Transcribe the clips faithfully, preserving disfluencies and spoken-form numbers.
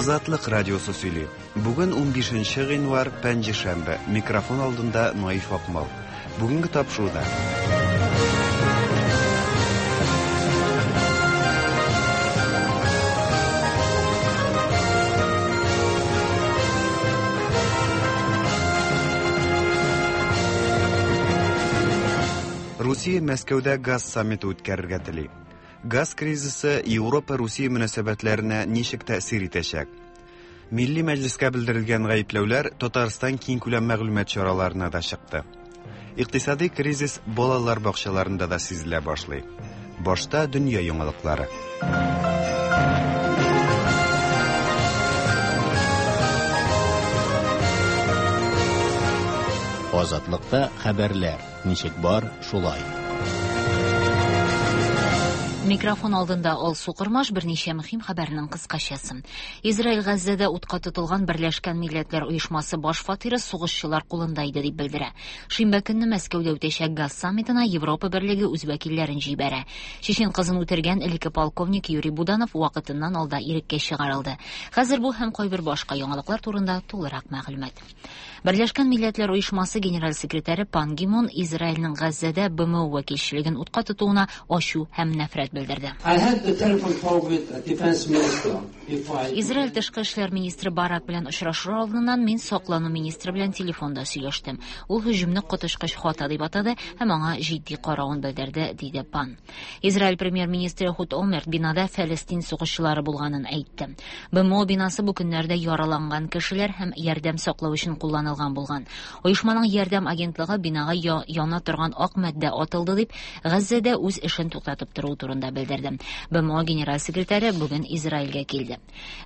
Азатлык радиосы сөйли. Бүген унбишенче гыйнвар, пәнҗешәмбе. Микрофон алдында Наиф Акмал. Бүгенге тапшыруда. Русия Мәскәүдә газ саммиты үткәрергә тели. Газ кризисы Европа-Русия мөнәсәбәтләренә ничек тәэсир итәчәк? Милли мәҗлескә белдерелгән гаепләүләр Татарстан киңкүләм мәгълүмат чараларына да чыкты. Икътисади кризис балалар бакчаларында да сизелә башлый. Башта дөнья яңалыклары. Азатлыкта хәбәрләр ничек бар, шулай. Микрофон алдында Алсу Кормаш, берничә мөһим хәбәрнең кыскачасы. Израиль Газзәдә утка тотылган Берләшкән Милләтләр Оешмасы баш фатиры сугышчылар кулында иде дип белдерә. Шимбә көнне Мәскәүдә үтәчәк газ саммитына Европа Берлеге үз вәкилләрен җибәрә. Чечен кызын үтергән элекке полковник Юрий Буданов вакытыннан алда иреккә чыгарылды. Хәзер бу һәм кайбер башка яңалыклар турында тулырак мәгълүмат. Берләшкән Милләтләр Оешмасы генераль секретаре Пан Ги Мун Израильнең Газзәдә Б М О вәкилчелеген утка тотуына ачу һәм нәфрәт белдерде. Израиль тышкы эшләр министры Барак белән очрашу алдыннан мин саклану министры белән телефонда сөйләштем. Ул һөҗүмне коточкыч хата дип атады һәм аңа җитди каравын белдерде, диде Пан. Израиль премьер-министры Эхуд Олмерт бинада Фәлестин сугышчылары булганын әйтте. Б М О бинасы бу көннәрдә яраланган кешеләр һәм ярдәм саклау өчен кулланылган булган. Оешманың ярдәм агентлыгы бинага я-, яна торган ак матдә атылды дип Газзәдә үз эшен туктатып тору турында белдерде. Б М О генераль секретаре бүген Израильгә килде.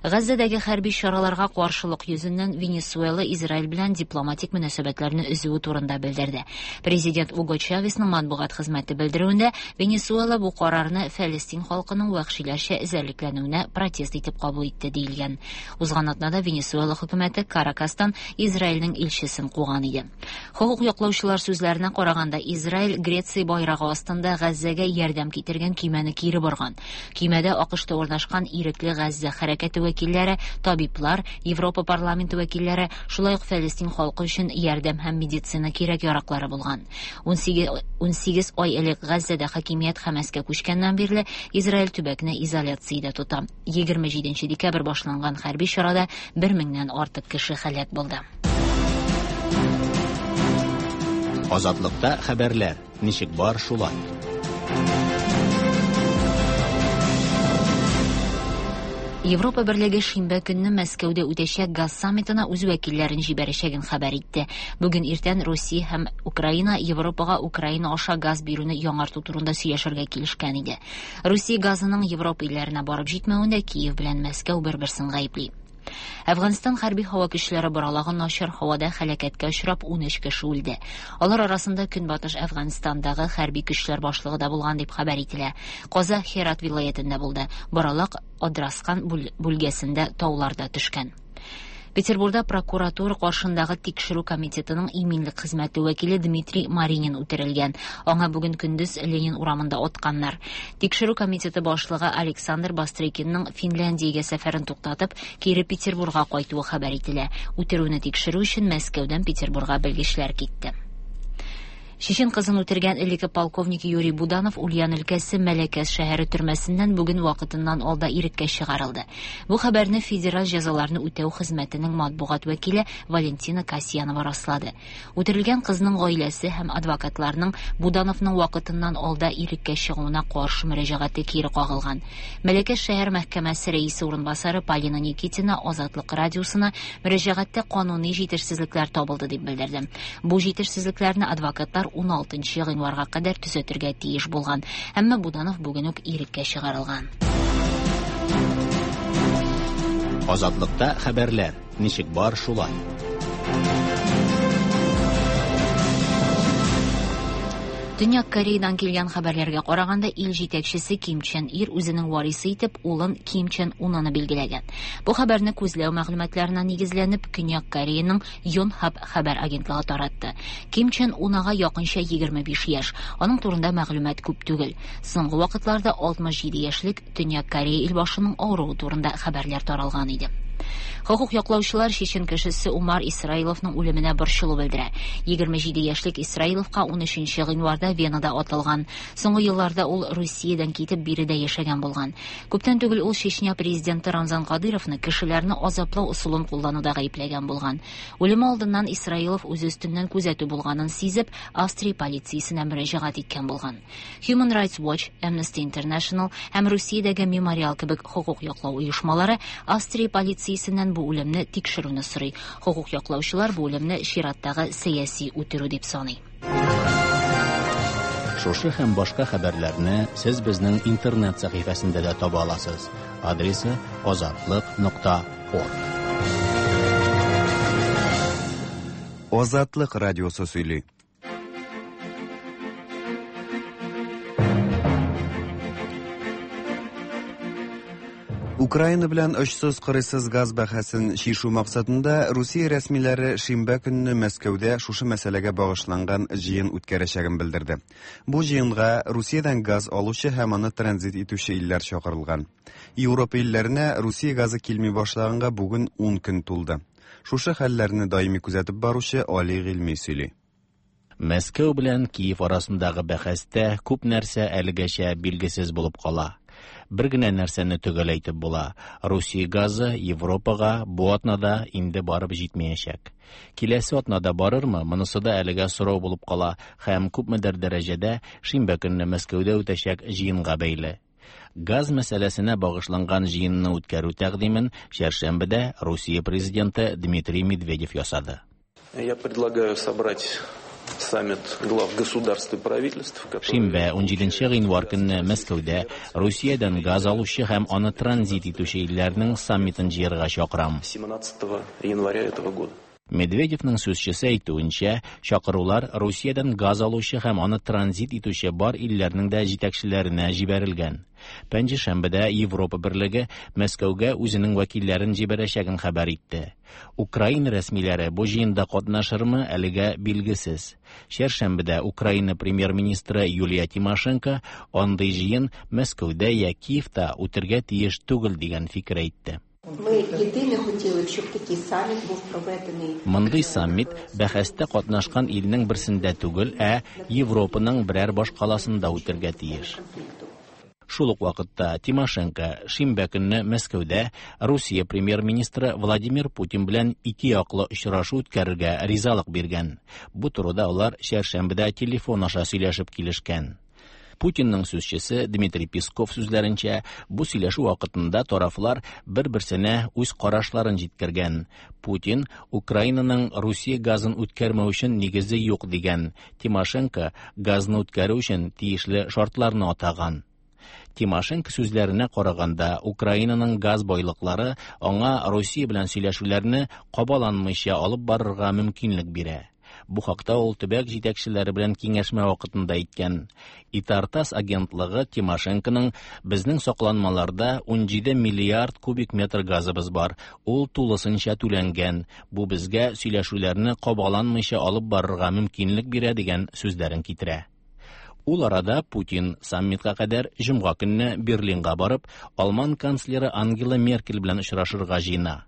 Газзәдәге хәрби чараларга каршылык йөзеннән Венесуэла Израиль белән дипломатик мөнәсәбәтләрне өзүе турында белдерде. Президент Уго Чавесның матбугат хезмәте белдерүендә Венесуэла бу карарны Фәлестин халкының вәхшиләрчә эзәрлекләнүенә протест итеп кабул итте диелгән. Узган атнада Венесуэла хөкүмәте Каракастан Израильнең илчесен куган иде. Хокук яклаучылар сүзләренә караганда, Израиль Греция байрагы астында Газзәгә ярдәм китергән көймәне кире борган. Көймәдә А К Шта урнашкан ирекле Газзә хәрәкәте вәкилләре, табиблар, Европа парламенты вәкилләре, шулай ук Фәлестин халкы өчен ярдәм һәм медицина кирәк-яраклары булган. Ун сигез, ун сигез ай элек Газзәдә хакимият Хәмәскә күчкәннән бирле Израиль төбәкне изоляциядә тота. Егерме җиденче декабрь башланган хәрби чарада бер меңнән артык кеше һәлак булды. Азатлыкта хәбәрләр ничек бар, шулай. Европа Берлеге шимбә көнне Мәскәүдә үтәчәк газ саммитына үз вәкилләрен җибәрәчәген хәбәр итте. Бүген иртән Русия һәм Украина Европага Украина аша газ бирүне яңарту турында сөйләшергә килешкән иде. Русия газының Европа илләренә барып җитмәвендә Киев белән Мәскәү бер-берсен гаепли. Әфганстан хәрби һава көчләре боралаган начар һавада һәлакәткә очрап ун өч кеше үлде. Алар арасында Көнбатыш Әфганстандагы хәрби көчләр башлыгы да булган дип хәбәр ителә. Каза Херат вилаятендә булды. Боралак Адрасхан бүл-, бүлгәсендә тауларда төшкән. Петербурда прокуратура каршындагы тикшерү комитетының иминлек хезмәте вәкиле Дмитрий Маринин үтерелгән. Аңа бүген көндез Ленин урамында атканнар. Тикшерү комитеты башлыгы Александр Бастрыкинның Финляндиягә сәфәрен туктатып, кире Петербурга кайтуы хәбәр ителә. Үтерүне тикшерү өчен Мәскәүдән Петербурга белгечләр китте. Чечен кызын үтергән элекке полковник Юрий Буданов Ульян өлкәсе Мәләкәс шәһәре төрмәсеннән бүген вакытыннан алда иреккә чыгарылды. Бу хәбәрне Федераль җәзаларны үтәү хезмәтенең матбугат вәкиле Валентина Касьянова раслады. Үтерелгән кызның гаиләсе һәм адвокатларның Будановның вакытыннан алда иреккә чыгуына каршы мөрәҗәгате кире кагылган. Мәләкәс шәһәр мәхкәмәсе рәисе урынбасары Полина Никитина Азатлык радиосына мөрәҗәгатьтә кануни җитешсезлекләр табылды дип белдерде. Бу җитешсезлекләрне адвокатлар ун алтынчы гыйнварга кадәр төзәтергә тиеш булган. Әмма Буданов бүген үк иреккә чыгарылган. Азатлыкта хәбәрләр ничек бар, шулай. Төньяк Кореядан килгән хәбәрләргә караганда, ил җитәкчесе Ким Чен Ир үзенең варисы итеп улын Ким Чен Унаны билгеләгән. Бу хәбәрне күзләү мәгълүматларына нигезләнеп, Көньяк Кореяның Йонхап хәбәр агентлыгы таратты. Ким Чен Унага якынча егерме биш яшь. Аның турында мәгълүмат күп түгел. Соңгы вакытларда алтмыш җиде яшьлек Төньяк Корея илбашының авыруы турында хәбәрләр таралган иде. Хокук яклаучылар чечен кешесе Умар Исраиловның үлеменә борчылу белдерә. Егерме җиде яшьлек Исраиловка ун өченче гыйнварда Венада атылган. Соңгы елларда ул Русиядән китеп биредә яшәгән булган. Күптән түгел ул Чечня президенты Рамзан Кадыровны кешеләрне азаплау ысулын куллануда гаепләгән булган. Үлеме алдыннан Исраилов үзе өстеннән күзәтү булганын сизеп, Австрия полициясенә мөрәҗәгать иткән булган. Human Rights Watch, Amnesty International һәм Русиядәге Мемориал кебек хокук яклау оешмалары Австрия полициясеннән бу үлемне тикшерүне сорый. Хокук яклаучылар бу үлемне чираттагы сәяси үтерү дип саный. Шушы һәм башка хәбәрләрне сез безнең интернет сәхифәсендә дә таба аласыз. Адресы азатлык нокта орг. Азатлык радиосы сөйли. Украина белән очсыз-кырыйсыз газ бәһасен чишү максатында Русия рәсмиләре шимбә көнне Мәскәүдә шушы мәсьәләгә багышланган җыен үткәрәчәген белдерде. Бу җыенга Русиядән газ алучы һәм аны транзит итүче илләр чакырылган. Европа илләренә Русия газы килми башлаганга бүген ун көн тулды. Шушы хәлләрне даими күзәтеп баручы Али Гыйльми сөйли. Мәскәү белән Киев арасындагы бәхәстә күп нәрсә әлегәчә билгесез булып кала. Бер генә нәрсәне төгәл әйтеп була. Русия газы Европага бу атнада инде барып җитмәячәк. Киләсе атнада барырмы, монысы да әлегә сорау булып кала һәм күпмедер дәрәҗәдә шимбә көнне Мәскәүдә үтәчәк җыенга бәйле. Газ мәсьәләсенә багышланган җыенны үткәрү тәкъдимен чәршәмбедә Русия президенты Дмитрий Медведев ясады. Я предлагаю собрать саммит глав государств и правительств, которые Шимбә ун җиденче гыйнвар көнне Мәскәүдә Русиядән газ алучы һәм аны транзит итүче илләрнең саммитын җыярга чакырам. семнадцатого января этого года. Медведевның сүзчесе әйтүенчә, чакырулар Русиядән газ алучы һәм аны транзит итүче бар илләрнең дә җитәкчеләренә җибәрелгән. Пәнҗешәмбедә Европа Берлеге Мәскәүгә үзенең вәкилләрен җибәрәчәген хәбәр итте. Украина рәсмиләре бу җыенда катнашырмы, әлегә билгесез. Чәршәмбедә Украина премьер-министры Юлия Тимошенко андый җыен Мәскәүдә я Киевта үтергә тиеш түгел дигән фикер әйтте. Ми єдине хотіли, щоб такий саміт був проведений. Мондый саммит бәхәстә катнашкан илнең берсендә түгел, ә Европаның берәр башкаласында үтергә тиеш. Шул ук вакытта Тимошенко шимбә көнне Мәскәүдә Русия премьер-министры Владимир Путин белән ике яклы очрашу үткәрергә ризалык биргән. Бу турыда алар чәршәмбедә телефон аша сөйләшеп килешкән. Путинның сүзчесе Дмитрий Песков сүзләренчә, бу сөйләшү вакытында тарафлар бер-берсенә үз карашларын җиткергән. Путин Украинаның Русия газын үткәрмәү өчен нигезе юк дигән. Тимошенко газны үткәрү өчен тиешле шартларны атаган. Тимошенко сүзләренә караганда, Украинаның газ байлыклары аңа Русия белән сөйләшүләрне кабаланмыйча алып барырга мөмкинлек бирә. Бу хакта ул төбәк җитәкчеләре белән киңәшмә вакытында әйткән. Итартас агентлыгы Тимошенконың безнең сакланмаларда ун җиде миллиард кубик метр газыбыз бар, ул тулысынча түләнгән. Бу безгә сөйләшүләрне кабаланмыйча алып барырга мөмкинлек бирә дигән сүзләрен китерә. Ул арада Путин саммитка кадәр җомга көнне Берлинга барып, Алман канцлеры Ангела Меркель белән очрашырга җыена.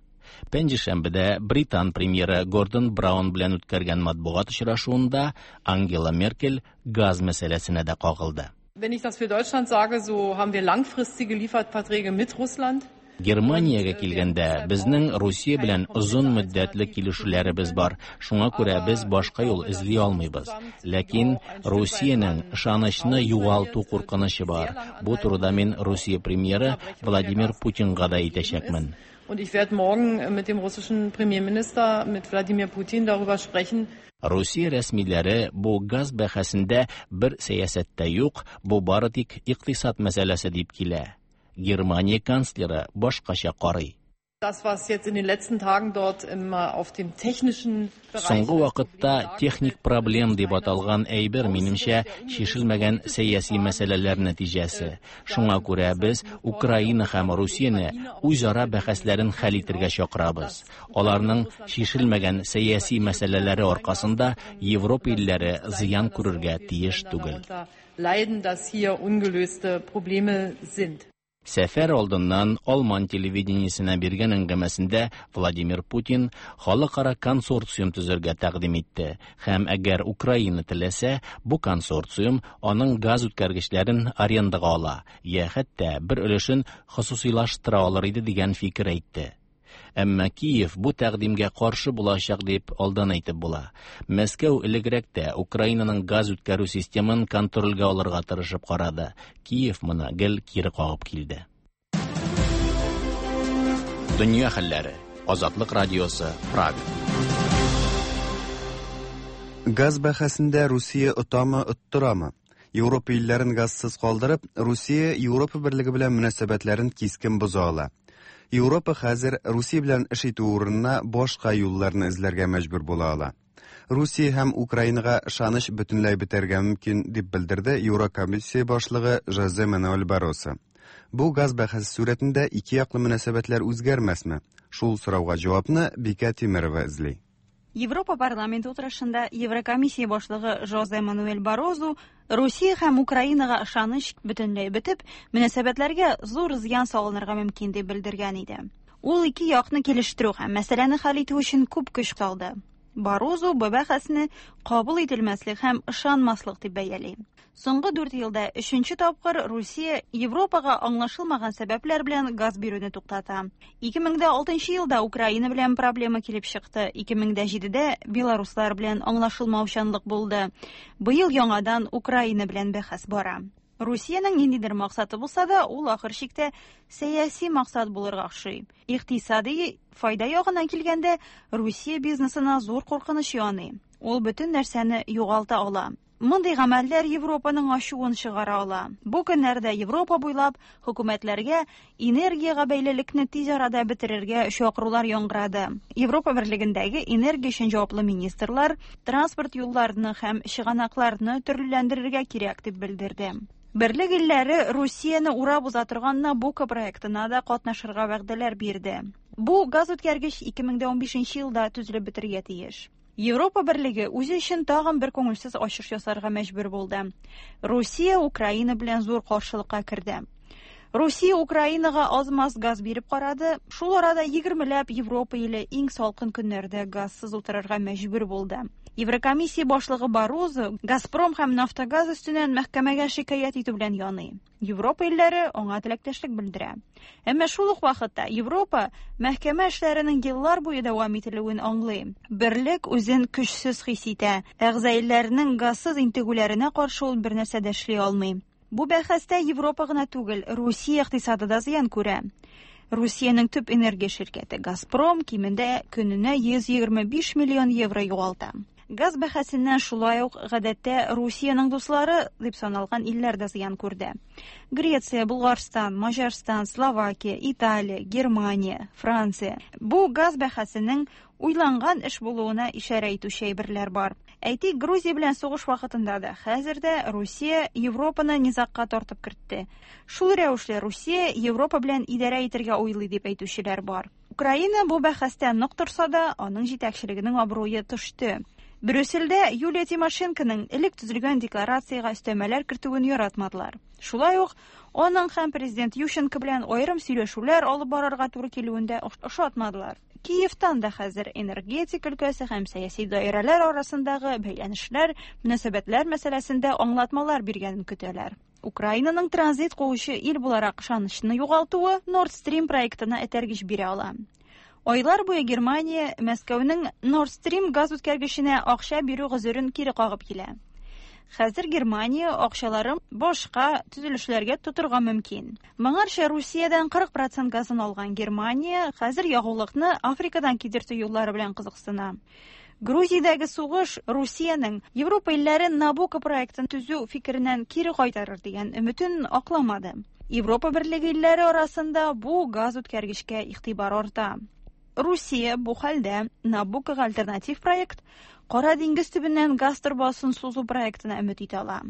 Пәнҗешәмбедә Британ премьеры Гордон Браун белән үткәргән матбугат очрашуында Ангела Меркель газ мәсьәләсенә дә кагылды. Wenn ich das für Deutschland sage, so haben wir langfristige Lieferverträge mit Russland. Германиягә килгәндә, безнең Русия белән озын мөддәтле килешүләребез бар. Шуңа күрә без башка юл эзли алмыйбыз. Ләкин Русиянең ышанычны югалту куркынычы бар. Бу турыда мин Русия премьеры Владимир Путинга да әйтәчәкмен. Und ich werde morgen mit dem russischen Premierminister, mit Wladimir Putin darüber sprechen. Русия рәсмиләре бу газ бәхәсендә бер сәясәттә юк, бу бары тик икътисад мәсьәләсе дип килә. Германия канцлеры башкача карый. Das, was jetzt in den letzten Tagen dort immer auf dem technischen Bereich Соңгы вакытта техник проблем дип аталган әйбер, минемчә, чишелмәгән сәяси мәсьәләләр нәтиҗәсе. Шуңа күрә без Украина һәм Русияне үзара бәхәсләрен хәл итәргә чакырабыз. Аларның чишелмәгән сәяси мәсьәләләре аркасында Европа илләре зыян күрергә тиеш түгел. Leiden, dass hier ungelöste Probleme sind. Сәфәр алдыннан Алман телевидениесенә биргән әңгәмәсендә Владимир Путин халыкара консорциум төзергә тәкъдим итте һәм әгәр Украина теләсә, бу консорциум аның газ үткәргечләрен арендага ала, я хәтта бер өлешен хосусыйлаштыра алыр иде дигән фикер әйтте. Әмма Киев бу тәкъдимгә каршы булачак дип алдан әйтеп була. Мәскәү элегрәк тә Украинаның газ үткәрү системын контрольгә алырга тырышып карады. Киев моны гел кире кагып килде. Дөнья хәлләре. Азатлык радиосы, Прага. Газ бәхәсендә Русия отамы, оттырамы? Европа илләрен газсыз калдырып, Русия Европа берлеге белән мөнәсәбәтләрен кискен боза ала. Европа хәзер Русия белән эш итү урынына башка юлларны эзләргә мәҗбүр була ала. Русия һәм Украинага ышаныч бөтенләй бетәргә мөмкин, дип белдерде Еврокомиссия башлыгы Жозе Мануэль Барросо. Бу газ бәхәсе сурәтендә ике яклы мөнәсәбәтләр үзгәрмәсме? Шул сорауга җавапны Бикә Тимерова эзли. Европа парламенты утырышында Еврокомиссия башлыгы Жозе Мануэль Баррозу Русия һәм Украинага ышаныч бөтенләй бетеп, мөнәсәбәтләргә зур зыян салынырга мөмкин дип белдергән иде. Ул ике якны килештерү һәм мәсьәләне хәл итү өчен күп көч салды. Баррозу бу бәхәсне кабул ителмәслек һәм ышанмаслык дип бәяли. Соңгы дүрт елда өченче тапкыр Русия Европага аңлашылмаган сәбәпләр белән газ бирүне туктата. ике мең дә алтынчы елда Украина белән проблема килеп чыкты. ике мең дә җидедә белоруслар белән аңлашылмаучанлык булды. Быел яңадан Украина белән бәхәс бара. Русиянең ниндидер максаты булса да, ул ахыр чиктә сәяси максат булырга охшый. Икътисади файда ягыннан килгәндә, Русия бизнесына зур куркыныч яный. Ул бөтен нәрсәне югалта ала. Мондый гамәлләр Европаның ачуын чыгара ала. Бу көннәрдә Европа буйлап хөкүмәтләргә энергиягә бәйлелекне тиз арада бетерергә чакырулар яңгырады. Европа берлегендәге энергия өчен җаваплы министрлар транспорт юлларны һәм чыганакларны төрлеләндерергә кирәк дип белдерде. Берлек илләре Русияне урап уза торган Набуко проектына да катнашырга вәгъдәләр бирде. Бу газ үткәргеч ике мең дә унбишенче елда төзелеп бетерергә тиеш. Европа берлеге үзе өчен тагын бер күңелсез ачыш ясарга мәҗбүр булды. Русия Украина белән зур каршылыкка керде. Русия Украинага аз-маз газ биреп карады. Шул арада егермеләп Европа иле иң салкын көннәрдә газсыз утырырга мәҗбүр булды. Еврокомиссия башлыгы Баррозо Газпром һәм Нафтогаз өстеннән мәхкәмәгә шикаять итү белән яный. Европа илләре аңа теләктәшлек белдерә. Әмма шул ук вакытта Европа мәхкәмә эшләренең еллар буе дәвам ителүен аңлый. Берлек үзен көчсез хис итә. Әгъза илләрнең газсыз интегүләренә каршы ул бер нәрсә дә эшли алмый. Бу бәхәстә Европа гына түгел, Русия икътисады да зыян күрә. Русиянең төп энергия ширкәте Газпром кимендә көненә йөз егерме биш миллион евро югалта. Газ бәхәсеннән шулай ук гадәттә Русиянең дуслары дип саналган илләр дә зыян күрде. Греция, Булгарстан, Маҗарстан, Словакия, Италия, Германия, Франция. Бу газ бәхәсенең уйланган эш булуына ишарә итүче әйберләр бар. Әйтик, Грузия белән сугыш вакытында да хәзер дә Русия Европаны низагка тартып кертте. Шул рәвешле Русия Европа белән идарә итәргә уйлый дип әйтүчеләр бар. Украина бу бәхәстә нык торса да, аның җитәкчелегенең абруе төште. Брюссельдә Юлия Тимошенконың элек төзелгән декларациягә өстәмәләр кертүен яратмадылар. Шулай ук аның һәм президент Ющенко белән аерым сөйләшүләр алып барырга туры килүен дә ошатмадылар. Киевтан да хәзер энергетик өлкәсе һәм сәяси даирәләр арасындагы бәйләнешләр, мөнәсәбәтләр мәсьәләсендә аңлатмалар биргәнен көтәләр. Украинаның транзит куучы ил буларак ышанычны югалтуы Nord Stream проектына этәргеч бирә ала. Айлар буе Германия Мәскәүнең Nord Stream газ үткәргеченә акча бирү гозерен кире кагып килә. Хәзер Германия акчаларын башка төзелешләргә тотырга мөмкин. Моңарча Русиядән кырык процент газын алган Германия хәзер ягулыкны Африкадан кидертү юллары белән кызыксына. Грузиядәге сугыш Русиянең Европа илләрен Набуко проектын төзү фикереннән кире кайтарыр дигән өметен акламады. Европа берлеге илләре арасында бу газ үткәргечкә игътибар арта. Русия бу хәлдә Набукога альтернатив проект Кара диңгез төбеннән газ торбасын сузу проектына өмет итә ала.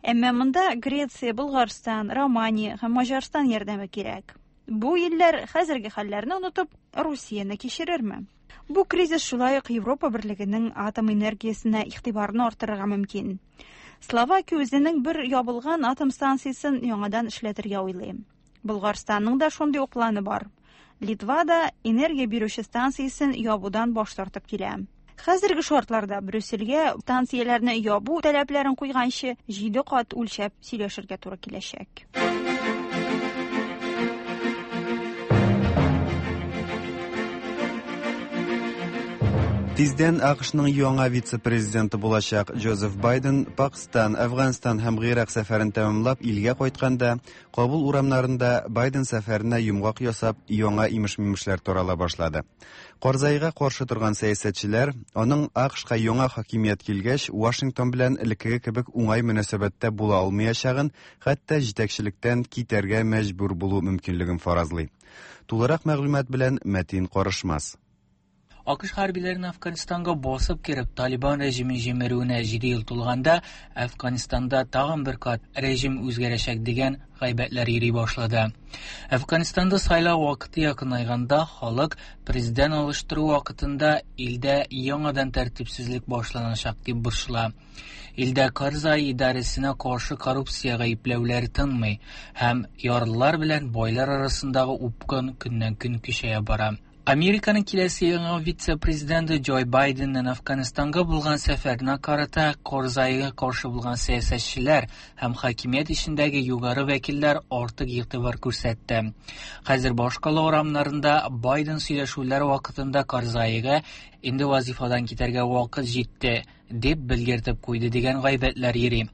Әмма монда Греция, Булгарстан, Романия һәм Маҗарстан ярдәме кирәк. Бу илләр хәзерге хәлләрне онытып Русияне кичерерме? Бу кризис шулай ук Европа берлегенең атом энергиясенә игътибарны арттырырга мөмкин. Словакия үзенең бер ябылган атом станциясен яңадан эшләтергә уйлый. Болгарстанның да шундый ук планы бар. Литва да энергия бирүче станциясен ябудан баш тартып килә. Хәзерге шартларда Брюссельгә станцияләрне ябу таләпләрен куйганчы җиде кат үлчәп сөйләшергә туры киләчәк. Тиздән А К Шның яңа вице-президенты булачак Джозеф Байден Пакстан, Әфганстан һәм Гыйрак сәфәрен тәмамлап илгә кайтканда, Кабул урамнарында Байден сәфәренә йомгак ясап, яңа имеш-мимешләр тарала башлады. Карзайга каршы торган сәясәтчеләр аның А К Шка яңа хакимият килгәч, Вашингтон белән элеккеге кебек уңай мөнәсәбәттә була алмаячагын, хәтта җитәкчелектән китәргә мәҗбүр булу мөмкинлеген фаразлый. Тулырак мәгълүмат белән Мәтин Карышмас. А К Ш хәрбиләренең Әфганстанга басып кереп Талибан режимын җимерүенә җиде ел тулганда, Әфганстанда тагын бер кат режим үзгәрәчәк дигән гайбәтләр йөри башлады. Әфганстанда сайлау вакыты якынайганда, халык президент алыштыру вакытында илдә яңадан тәртипсезлек башланачак дип борчыла. Илдә Карзай идарәсенә каршы коррупция гаепләүләре тынмый һәм ярлылар белән байлар арасындагы упкын көннән-көн көчәя бара. Американың киләсе яңа вице-президенты Джо Байденның Әфганстанга булган сәфәренә карата Карзайга каршы булган сәясәтчеләр һәм хакимият эчендәге югары вәкилләр артык игътибар күрсәтте. Хәзер башкала урамнарында Байден сөйләшүләр вакытында Карзайга инде вазифадан китәргә вакыт җитте дип белгертеп куйды дигән гайбәтләр йөри.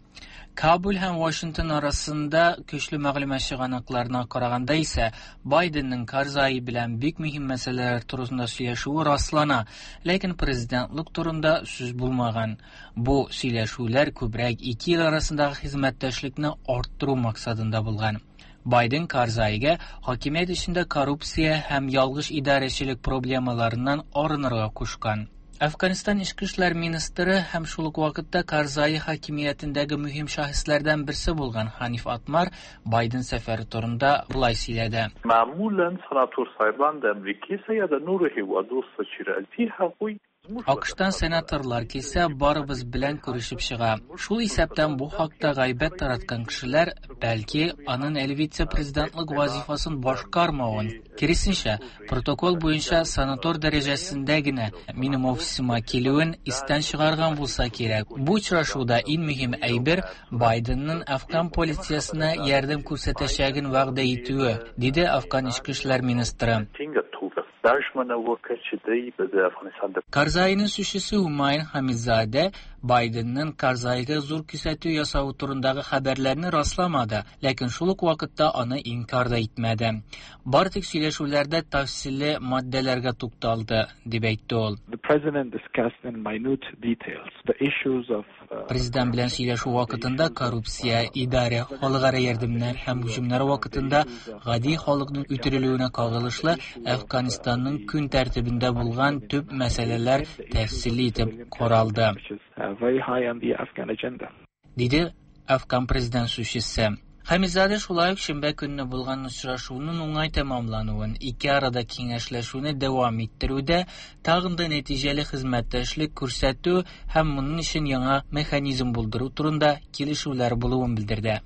Кабул һәм Вашингтон арасында көчле мәгълүмат чыганакларына караганда исә, Байденның Карзай белән бик мөһим мәсьәләләр турында сөйләшүе раслана, ләкин президентлык турында сүз булмаган. Бу сөйләшүләр күбрәк ике ил арасындагы хезмәттәшлекне арттыру максатында булган. Байден Карзайга хакимият эчендә коррупция һәм ялгыш идарәчелек проблемаларыннан арынырга кушкан. Әфганстан эчке эшләр министры һәм шул ук вакытта Карзай хакимиятендәге мөһим шәхесләрдән берсе булган Ханиф Атмар Байден сәфәре турында болай сөйләде. معمولا سناتور صاحبان د امریکې سره یا د نورو هیوادو سره چې راځي، هغوی А К Штан сенаторлар килсә, барыбыз белән күрешеп чыга. Шул исәптән бу хакта гайбәт тараткан кешеләр, бәлки, аның әле вице-президентлык вазифасын башкармавын, киресенчә, протокол буенча сенатор дәрәҗәсендә генә минем офисыма килүен истән чыгарган булса кирәк. Бу очрашуда иң мөһим әйбер Байденның афган полициясенә ярдәм күрсәтәчәген вәгъдә итүе, диде Афган эчке эшләр министры. ټینګه توګه دا ژمنه وکړه چې دی به د افغانستان د Karzai'nin sözçüsü Humayun Hamizade Biden'ın Karzai'ga зур күрсәтү ясавы турындагы хәбәрләрне расламады, ләкин шул ук вакытта аны инкар да итмәде. Бары тик сөйләшүләрдә тәфсилле маддәләргә тукталды, дип әйтте ул. The president discussed in minute details the issues of uh, Президент белән сөйләшү вакытында коррупция, идарә, халыкара ярдәмнәр һәм һөҗүмнәр вакытында гади халыкның үтерелүенә кагылышлы Әфганстанның көн тәртибендә булган төп мәсьәләләр тәфсилле итеп каралды, which is uh, very high on the Afghan agenda. Диде Афган президент сүзчесе. Хәмизадә шулай ук шимбә көнне булган очрашуның уңай тәмамлануын, ике арада киңәшләшүне дәвам иттерүдә тагын да нәтиҗәле хезмәттәшлек күрсәтү һәм моның өчен яңа механизм булдыру турында килешүләр булуын белдерде.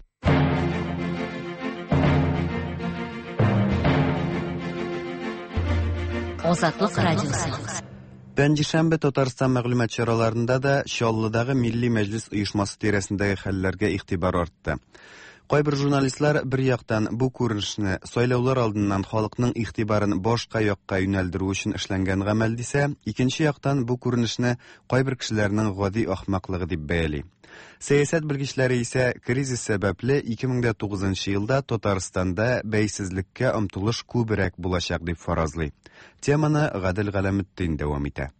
Азатлык радиосы. Пәнҗешәмбе Татарстан мәгълүмат чараларында да Чаллыдагы Милли Мәҗлес оешмасы тирәсендәге хәлләргә игътибар артты. Кайбер журналистлар бер яктан бу күренешне сайлаулар алдыннан халыкның игътибарын башка якка юнәлдерү өчен эшләнгән гамәл дисә, икенче яктан бу күренешне кайбер кешеләрнең гади ахмаклыгы дип бәяли. Сәясәт белгечләре исә кризис сәбәпле ике мең тугызынчы елда Татарстанда бәйсезлеккә омтылыш күбрәк булачак дип фаразлый. Теманы Гадел Галәметдин дәвам итә.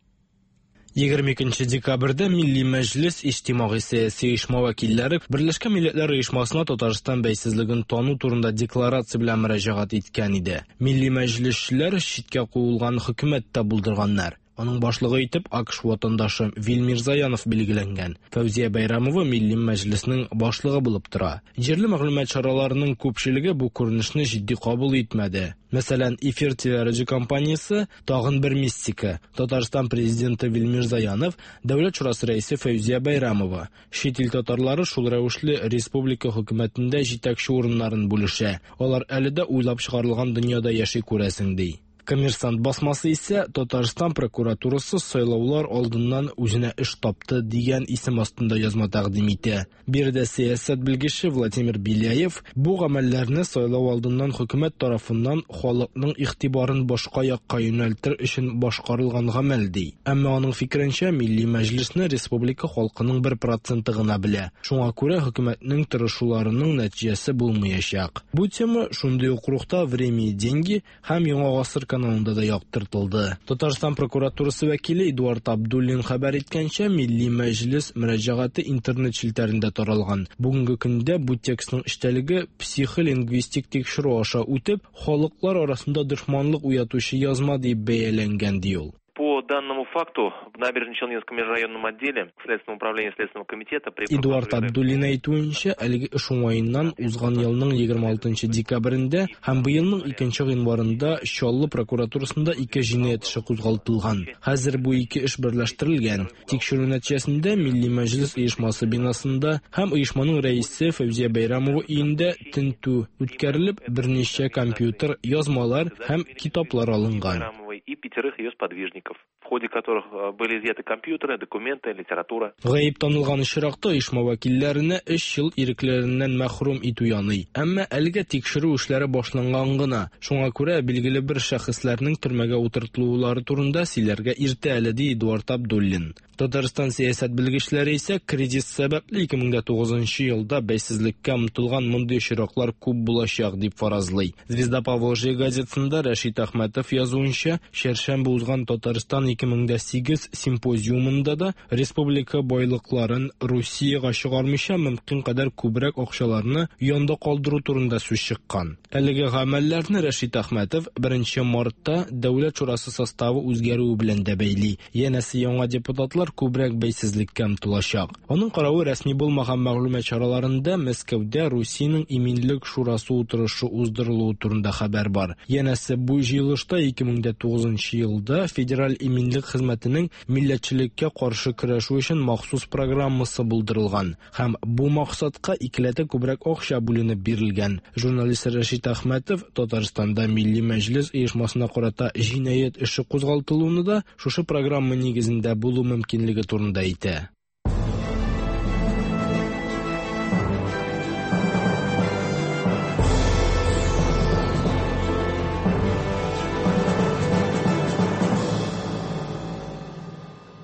егерме икенче декабрьдә Милли Мәҗлес иҗтимагый сәяси оешма вәкилләре Берләшкән Милләтләр Оешмасына Татарстан бәйсезлеген тану турында декларация белән мөрәҗәгать иткән иде. Милли Мәҗлесчеләр читкә куылган хөкүмәт тә булдырганнар. Аның башлыгы итеп АКШ ватандашы Вил Мирзаянов билгеләнгән. Фәүзия Бәйрәмова Милли Мәҗлеснең башлыгы булып тора. Җирле мәгълүмат чараларының күпчелеге бу күренешне җитди кабул итмәде. Мәсәлән, Эфир телерадиокомпаниясе тагын бер мистика. Татарстан президенты Вил Мирзаянов, Дәүләт шурасы рәисе Фәүзия Бәйрәмова. Чит ил татарлары шул рәвешле республика хөкүмәтендә җитәкче урыннарын бүлешә. Алар әле дә уйлап чыгарылган дөньяда яши күрәсең, ди. Коммерсант басмасы исә Татарстан прокуратурасы сайлаулар алдыннан үзенә эш тапты дигән исем астында язма тәкъдим итә. Биредә сәясәт белгече Владимир Беляев бу гамәлләрне сайлау алдыннан хөкүмәт тарафыннан халыкның игътибарын башка якка юнәлтер өчен башкарылган гамәл ди. Әмма аның фикеренчә, Милли Мәҗлесне республика халкының бер проценты гына белә. Шуңа күрә хөкүмәтнең тырышуларының нәтиҗәсе булмаячак. Бу тема шундый ук рухта Время и деньги һәм Яңа гасыр каналында да яктыртылды. Татарстан прокуратурасы вәкиле Эдуард Абдуллин хәбәр иткәнчә, Милли Мәҗлес мөрәҗәгате интернет челтәрендә таралган. Бүгенге көндә бу текстның эчтәлеге психолингвистик тикшерү аша үтеп, халыклар арасында дошманлык уятучы язма дип бәяләнгән, ди ул. По данному факту в Набережно-Челнинском межрайонном отделе Следственного управления Следственного комитета при Эдуард Абдуллин әйтүенчә, әлеге эш уңаеннан узган елның егерме алтынчы декабрендә һәм быелның икенче гыйнварында Чаллы прокуратурасында ике җинаять эше кузгалтылган. Хәзер бу ике эш берләштерелгән. Тикшерү нәтиҗәсендә Милли Мәҗлес оешмасы бинасында һәм оешманың рәисе Фәүзия Бәйрәмова өендә тентү үткәрелеп, берничә компьютер, язмалар һәм китаплар алынган. И пятерых ее сподвижников, в ходе которых были изъяты компьютеры, документы, литература. Гаеп танылган очракта оешма вәкилләренә өч ел ирекләреннән мәхрүм итү яный. Әмма әлегә тикшерү эшләре башланган гына. Шуңа күрә билгеле бер шәхесләрнең төрмәгә утыртылулары турында сөйләргә иртә әле, ди Эдуард Абдуллин. Татарстан сәясәт белгечләре исә кризис сәбәпле ике мең дә тугызынчы елда бәйсезлеккә омтылган мондый очраклар күп булачак дип фаразлый. Звезда Поволжья газетасында Рәшит Әхмәтов язуынча, чәршәмбе узган Татарстан ике мең дә сигез симпозиумында да республика байлыкларын Русиягә чыгармыйча мөмкин кадәр күбрәк акчаларны янда калдыру турында сүз чыккан. Әлеге гамәлләрне Рәшит Әхмәтов беренче мартта Дәүләт шурасы составы үзгәрүе белән дә бәйли. Янәсе яңа депутатлар күбрәк бәйсезлеккә омтылачак. Аның каравы рәсми булмаган мәгълүмат чараларында Мәскәүдә Русиянең иминлек шурасы утырышы уздырылуы турында хәбәр бар. Янәсе бу җыелышта ике мең дә тугызынчы елда Федераль иминлек хезмәтенең милләтчелеккә каршы көрәшү өчен махсус программасы булдырылган һәм бу максатка икеләтә күбрәк акча бүленеп бирелгән. Журналист Рәшит Әхмәтов Татарстанда Милли Мәҗлес оешмасына карата җинаять эше кузгалтылуны да шушы программа нигезендә булу мөмкинлеге турында әйтә.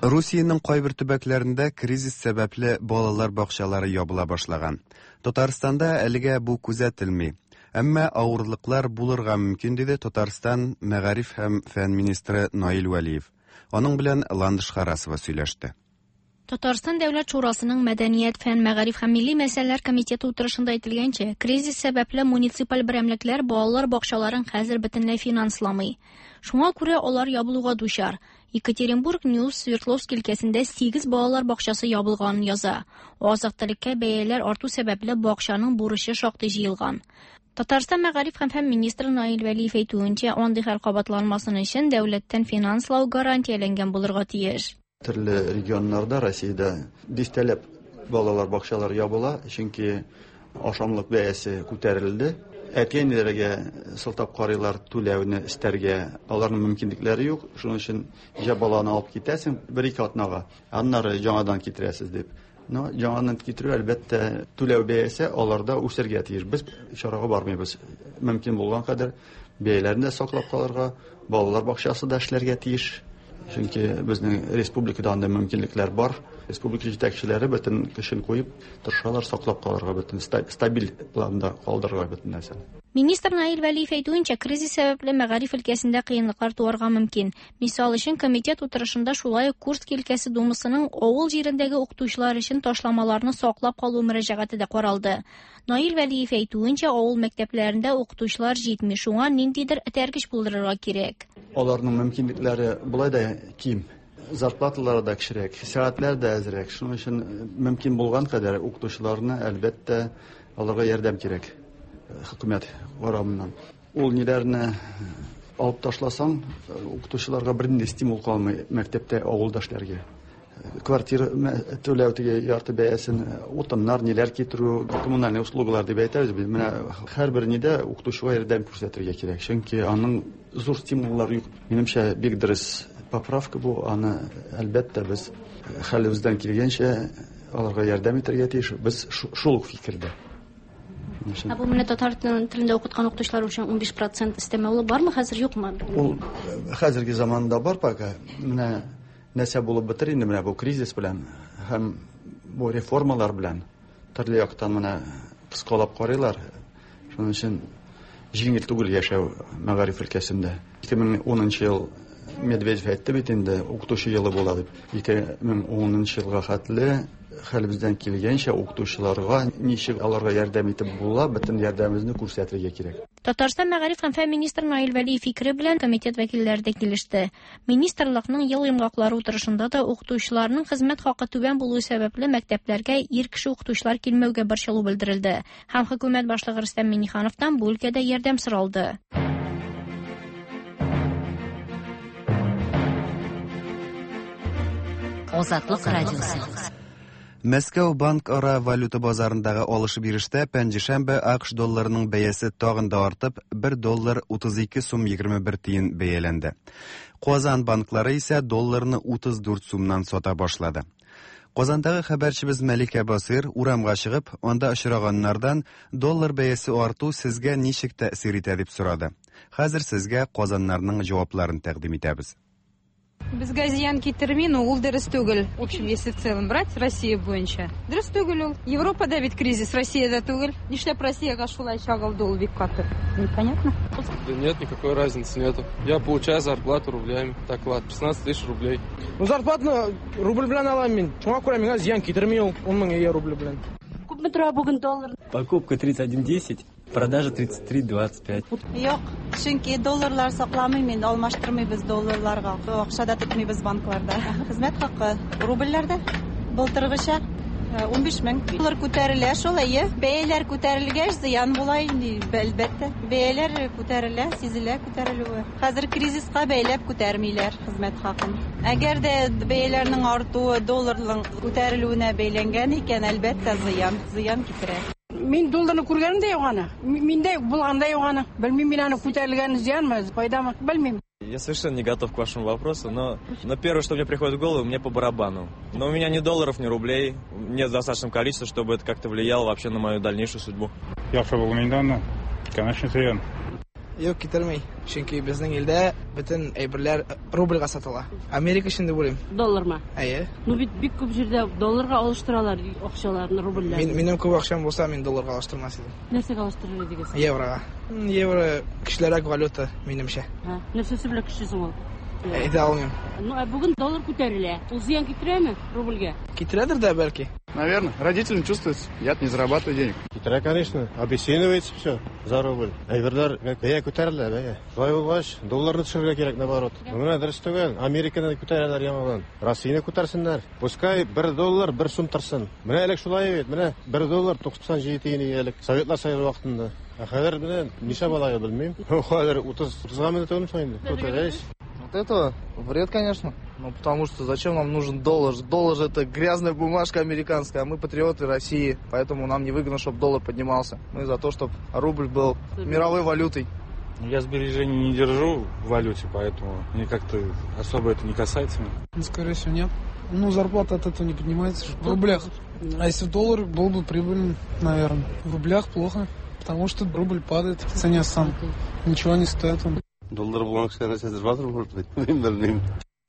Русиянең кайбер төбәкләрендә кризис сәбәпле балалар бакчалары ябыла башлаган. Татарстанда әлегә бу күзәтелми. Әмма авырлыклар булырга мөмкин, диде Татарстан мәгариф һәм фән министры Наил Вәлиев. Аның белән Ландыш Харасова сөйләште. Татарстан Дәүләт Шурасының Мәдәният, фән, мәгариф һәм милли мәсьәләләр комитеты утырышында әйтелгәнчә, кризис сәбәпле муниципаль берәмлекләр балалар бакчаларын хәзер бөтенләй финансламый. Шуңа күрә алар ябылуга дучар. Екатеринбург Ньюс Свердловск өлкәсендә сигез балалар бакчасы ябылганын яза. Азык-төлеккә бәяләр арту сәбәпле бакчаның бурычы шактый җыелган. Татарстан мәгариф һәм фән министры Наил Вәлиев әйтүенчә, андый хәл кабатланмасын өчен дәүләттән финанслау гарантияләнгән булырга тиеш. Төрле регионнарда Россиядә дистәләп балалар бакчалары ябыла, чөнки ашамлык бәясе күтәрелде. Әти-әниләргә сылтап карыйлар түләүне истәргә, аларның мөмкинлекләре юк. Шуның өчен җә баланы алып китәсең бер-ике атнага, аннары яңадан китерәсез дип. Но яңадан китерү, әлбәттә, түләү бәясе аларда үсәргә тиеш. Без чарага бармыйбыз. Мөмкин булган кадәр бәяләрне дә саклап калырга, балалар бакчасы да эшләргә тиеш. Чөнки безнең республикада андый мөмкинлекләр бар. Республика җитәкчеләре бөтен көчен куеп тырышалар саклап калырга, бөтен стабиль планда калдырырга бөтен нәрсәне. Министр Наил Вәлиев әйтүенчә, кризис сәбәпле мәгариф өлкәсендә кыенлыклар туарга мөмкин. Мисал өчен, комитет утырышында шулай ук Курск өлкәсе думасының авыл җирендәге укытучылар өчен ташламаларны саклап калу мөрәҗәгате дә каралды. Наил Вәлиев әйтүенчә, авыл мәктәпләрендә укытучылар җитми, шуңа ниндидер этәргеч булдырырга кирәк. Аларның мөмкинлекләре болай да ким. Зарплаталары да кечерәк, сәгатьләр дә әзрәк. Шуның өчен мөмкин булган кадәр укытучыларны, әлбәттә, аларга ярдәм кирәк хөкүмәт карамыннан. Ул ниләрне алып ташласаң, укытучыларга бернинди стимул калмый мәктәптә, авылда эшләргә. Квартира түләү теге ярты бәясен, утыннар, ниләр китерү, коммунальный услугалар дип әйтәбез без. Менә һәрбер нидә укытучыга ярдәм күрсәтергә кирәк. Чөнки аның зур стимуллары юк. Минемчә, бик дөрес поправка бу. Аны әлбәттә без хәлебездән килгәнчә аларга ярдәм итәргә тиеш. Без шул ук фикердә. Ә бу менә татар телендә укыткан укытучылар өчен унбиш процент өстәмә ул бармы хәзер, юкмы? Ул хәзерге заманда бар пока. Менә нәрсә булып бетер инде менә бу кризис белән һәм бу реформалар белән төрле яктан менә кыскалап карыйлар. Шуның өчен җиңел түгел яшәү мәгариф өлкәсендә. ике мең унынчы ел Медведев әйтте бит инде, укытучы елы була дип. ике мең унынчы елга хәтле хәлебездән килгәнчә укытучыларга ничек аларга ярдәм итеп була, бөтен ярдәмебезне күрсәтергә кирәк. Татарстан мәгариф һәм фән министры Наил Вәлиев фикере белән комитет вәкилләре дә килеште. Министрлыкның ел йомгаклары утырышында да укытучыларның хезмәт хакы түбән булуы сәбәпле мәктәпләргә ир кеше укытучылар килмәүгә борчылу белдерелде. Һәм хөкүмәт башлыгы Рөстәм Миңнехановтан бу өлкәдә ярдәм соралды. Азатлык радиосы. Мәскәү банк ара валюта базарындагы алыш-бирештә пәнҗешәмбе АКШ долларының бәясе тагын да артып, бер доллар утыз ике сум егерме бер тиен бәяләнде. Казан банклары исә долларны утыз дүрт сумнан сата башлады. Казандагы хәбәрчебез Мәликә Басыр урамга чыгып, анда очраганнардан доллар бәясе арту сезгә ничек тәэсир итә дип сорады. Хәзер сезгә казаннарның җавапларын тәкъдим итәбез. Безгә зыян китерми, но ул дөрес түгел. В общем, если в целом брать Россия буенча. Дөрес түгел ул. Европада бит кризис, Россиядә түгел. Нишләп Россиягә шулай чагылды ул бик каты? Непонятно. Да нет, никакой разницы нету. Я получаю зарплату рублями. Так ладно, шестнадцать тысяч рублей. Ну, зарплату рубль белән алам мин. Шуңа күрә миңа зыян китерми ул ун мең рубль белән. Күпме тора бүген доллар? Покупка тридцать один десять. Продажа тридцать три двадцать пять. Юк, чөнки долларлар сакламыйм мин, алмаштырмыйбыз долларларга. Акча да тотмыйбыз банкларда. Хезмәт хакы рубльләрдә былтыргыча унбиш мең. Доллар күтәрелә шул, әйе. Бәяләр күтәрелгәч зыян була инде, әлбәттә. Бәяләр күтәрелә, сизелә күтәрелүе. Хәзер кризиска бәйләп күтәрмиләр хезмәт хакын. Әгәр дә бәяләрнең артуы долларның күтәрелүенә бәйләнгән икән, әлбәттә зыян, зыян китерә. Мин долларны күргәнем дә юк аны. Миндә булган да юк аны. Белмим, мин аны күтәрелгән зыянмы, файдамы, белмим. Я совершенно не готов к вашему вопросу, но, но первое, что мне приходит в голову, мне по барабану. Но у меня ни долларов, ни рублей, нет в достаточном количестве, чтобы это как-то влияло вообще на мою дальнейшую судьбу. Яхшы булмый инде аны. Конечно, зыян. Юк, китермей. Чөнки безнең илдә бөтен әйберләр рубльгә сатыла. Америка өчен дип уйлыйм. Доллармы? Әйе. Ну бит бик күп җирдә долларга алыштыралар акчаларны, рубльләрне. Мин, минем күп акчам булса, мин долларга алыштырмас идем. Нәрсәгә алыштырыр идегез? Еврога. Евро көчлерәк валюта, минемчә. Һа, нәрсәсе белән көчле соң ул? Әйтә алмыйм. Ну, ә бүген доллар күтәрелә. Ул зыян китерәме рубльгә? Китерәдер дә бәлки. Наверное, родителям чувствуется, я-то не зарабатываю денег. Китерә, конечно, обесценивается все за рубль. Әйберләр бәя күтәрелә, бәя. Шулай булгач, долларны төшерергә кирәк, наоборот. Менә дөрес түгел, Американы күтәрәләр яңадан. Россияне күтәрсеннәр. Пускай бер доллар бер сум торсын. Менә элек шулай бит, менә бер доллар туксан җиде тиен элек Советлар Союзы вакытында. Ә хәзер менә ничә була, белмим. Хәзер утыз, утызга менә түгелме соң инде? Күтәрәйс. Вот этого вред, конечно. Ну, потому что зачем нам нужен доллар? Доллар же это грязная бумажка американская, а мы патриоты России, поэтому нам невыгодно, чтобы доллар поднимался. Мы за то, чтобы рубль был мировой валютой. Я сбережений не держу в валюте, поэтому мне как-то особо это не касается. Ну, скорее всего, нет. Ну, зарплата от этого не поднимается. В рублях. А если в доллар, был бы прибыльным, наверное. В рублях плохо, потому что рубль падает в цене сам. Ничего не стоит он. Доллар булган кешеләр нәрсәдер бардыр, может быть. Мин белмим.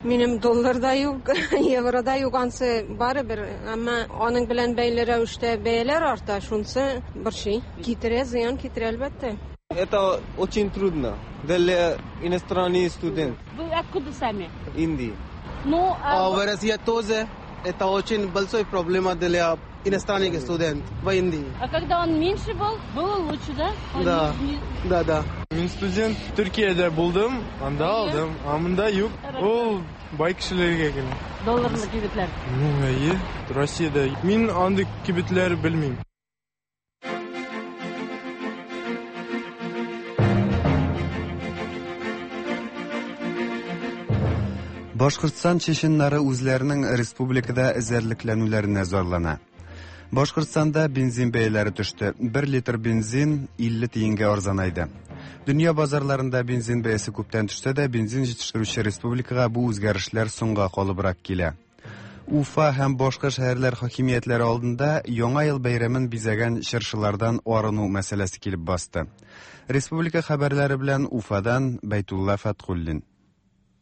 Минем доллар да юк, евро да юк, ансы барыбер, әмма аның белән бәйле рәвештә бәяләр арта, шунысы борчый. Китерә, зыян китерә, әлбәттә. Это очень трудно для иностранных студентов. Вы откуда сами? Индии. Ну, а... а в России тоже это очень большая проблема для иностранных студентов в Индии. А когда он меньше был, было лучше, да? Он да, не... да, да. Мин студент, Төркиядә булдым, анда алдым, а монда юк. Ул Бай кешеләргә генә. Долларлы кибетләр. Ну, әйе, Россиядә. Мин андый кибетләр белмим. Башкортстан чеченнары үзләренең республикада эзәрлекләнүләренә зарлана. Башкортстанда бензин бәяләре төште. Бер литр бензин илле тиенгә арзанайды. Дөнья базарларында бензин бәясе күптән төшсә дә, бензин җитештерүче республикага бу үзгәрешләр соңга калыбрак килә. Уфа һәм башка шәһәрләр хакимиятләре алдында Яңа ел бәйрәмен бизәгән чыршылардан арыну мәсьәләсе килеп басты. Республика хәбәрләре белән Уфадан Бәйтулла Фәтхуллин.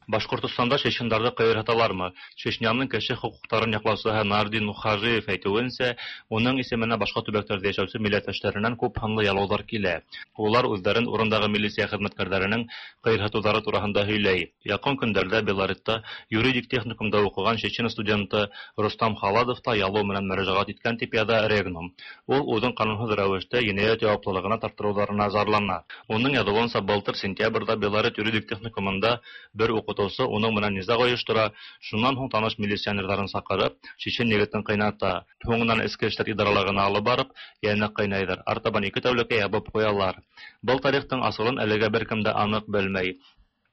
Башкортостанда чеченнарны кыерһыталармы? Чечняның кеше хокукларын яклаучысы Нардин Мухажиев әйтүенчә, уның исеменә башка төбәкләрдә яшәүче милләттәшләреннән күп һанлы ялаулар килә. Улар үзләрен урындагы милиция хезмәткәрләренең кыерһытулары турында һөйләй. Якын көндәрдә Белоретта юридик техникумда укыган чечен студенты Рустам Халадов та ялау менән мөрәҗәгать иткән дип яза Регнум. Ул үзен канунсыз рәвештә җинаять җаваплылыгына тартыруларына зарлана. Уның язуынча, былтыр сентябрьдә Белорет юридик техникумында бер укытучы уның менән низаг оештыра, шуннан һуң таныш милиционерларын сакырып, чечен егетен кыйната. Һуңыннан эчке эшләр идаралыгына алып барып, янә кыйнайдыр. Артабан ике тәүлеккә ябып куялар. Был тарихтың асылын әлегә беркем дә анык белмәй.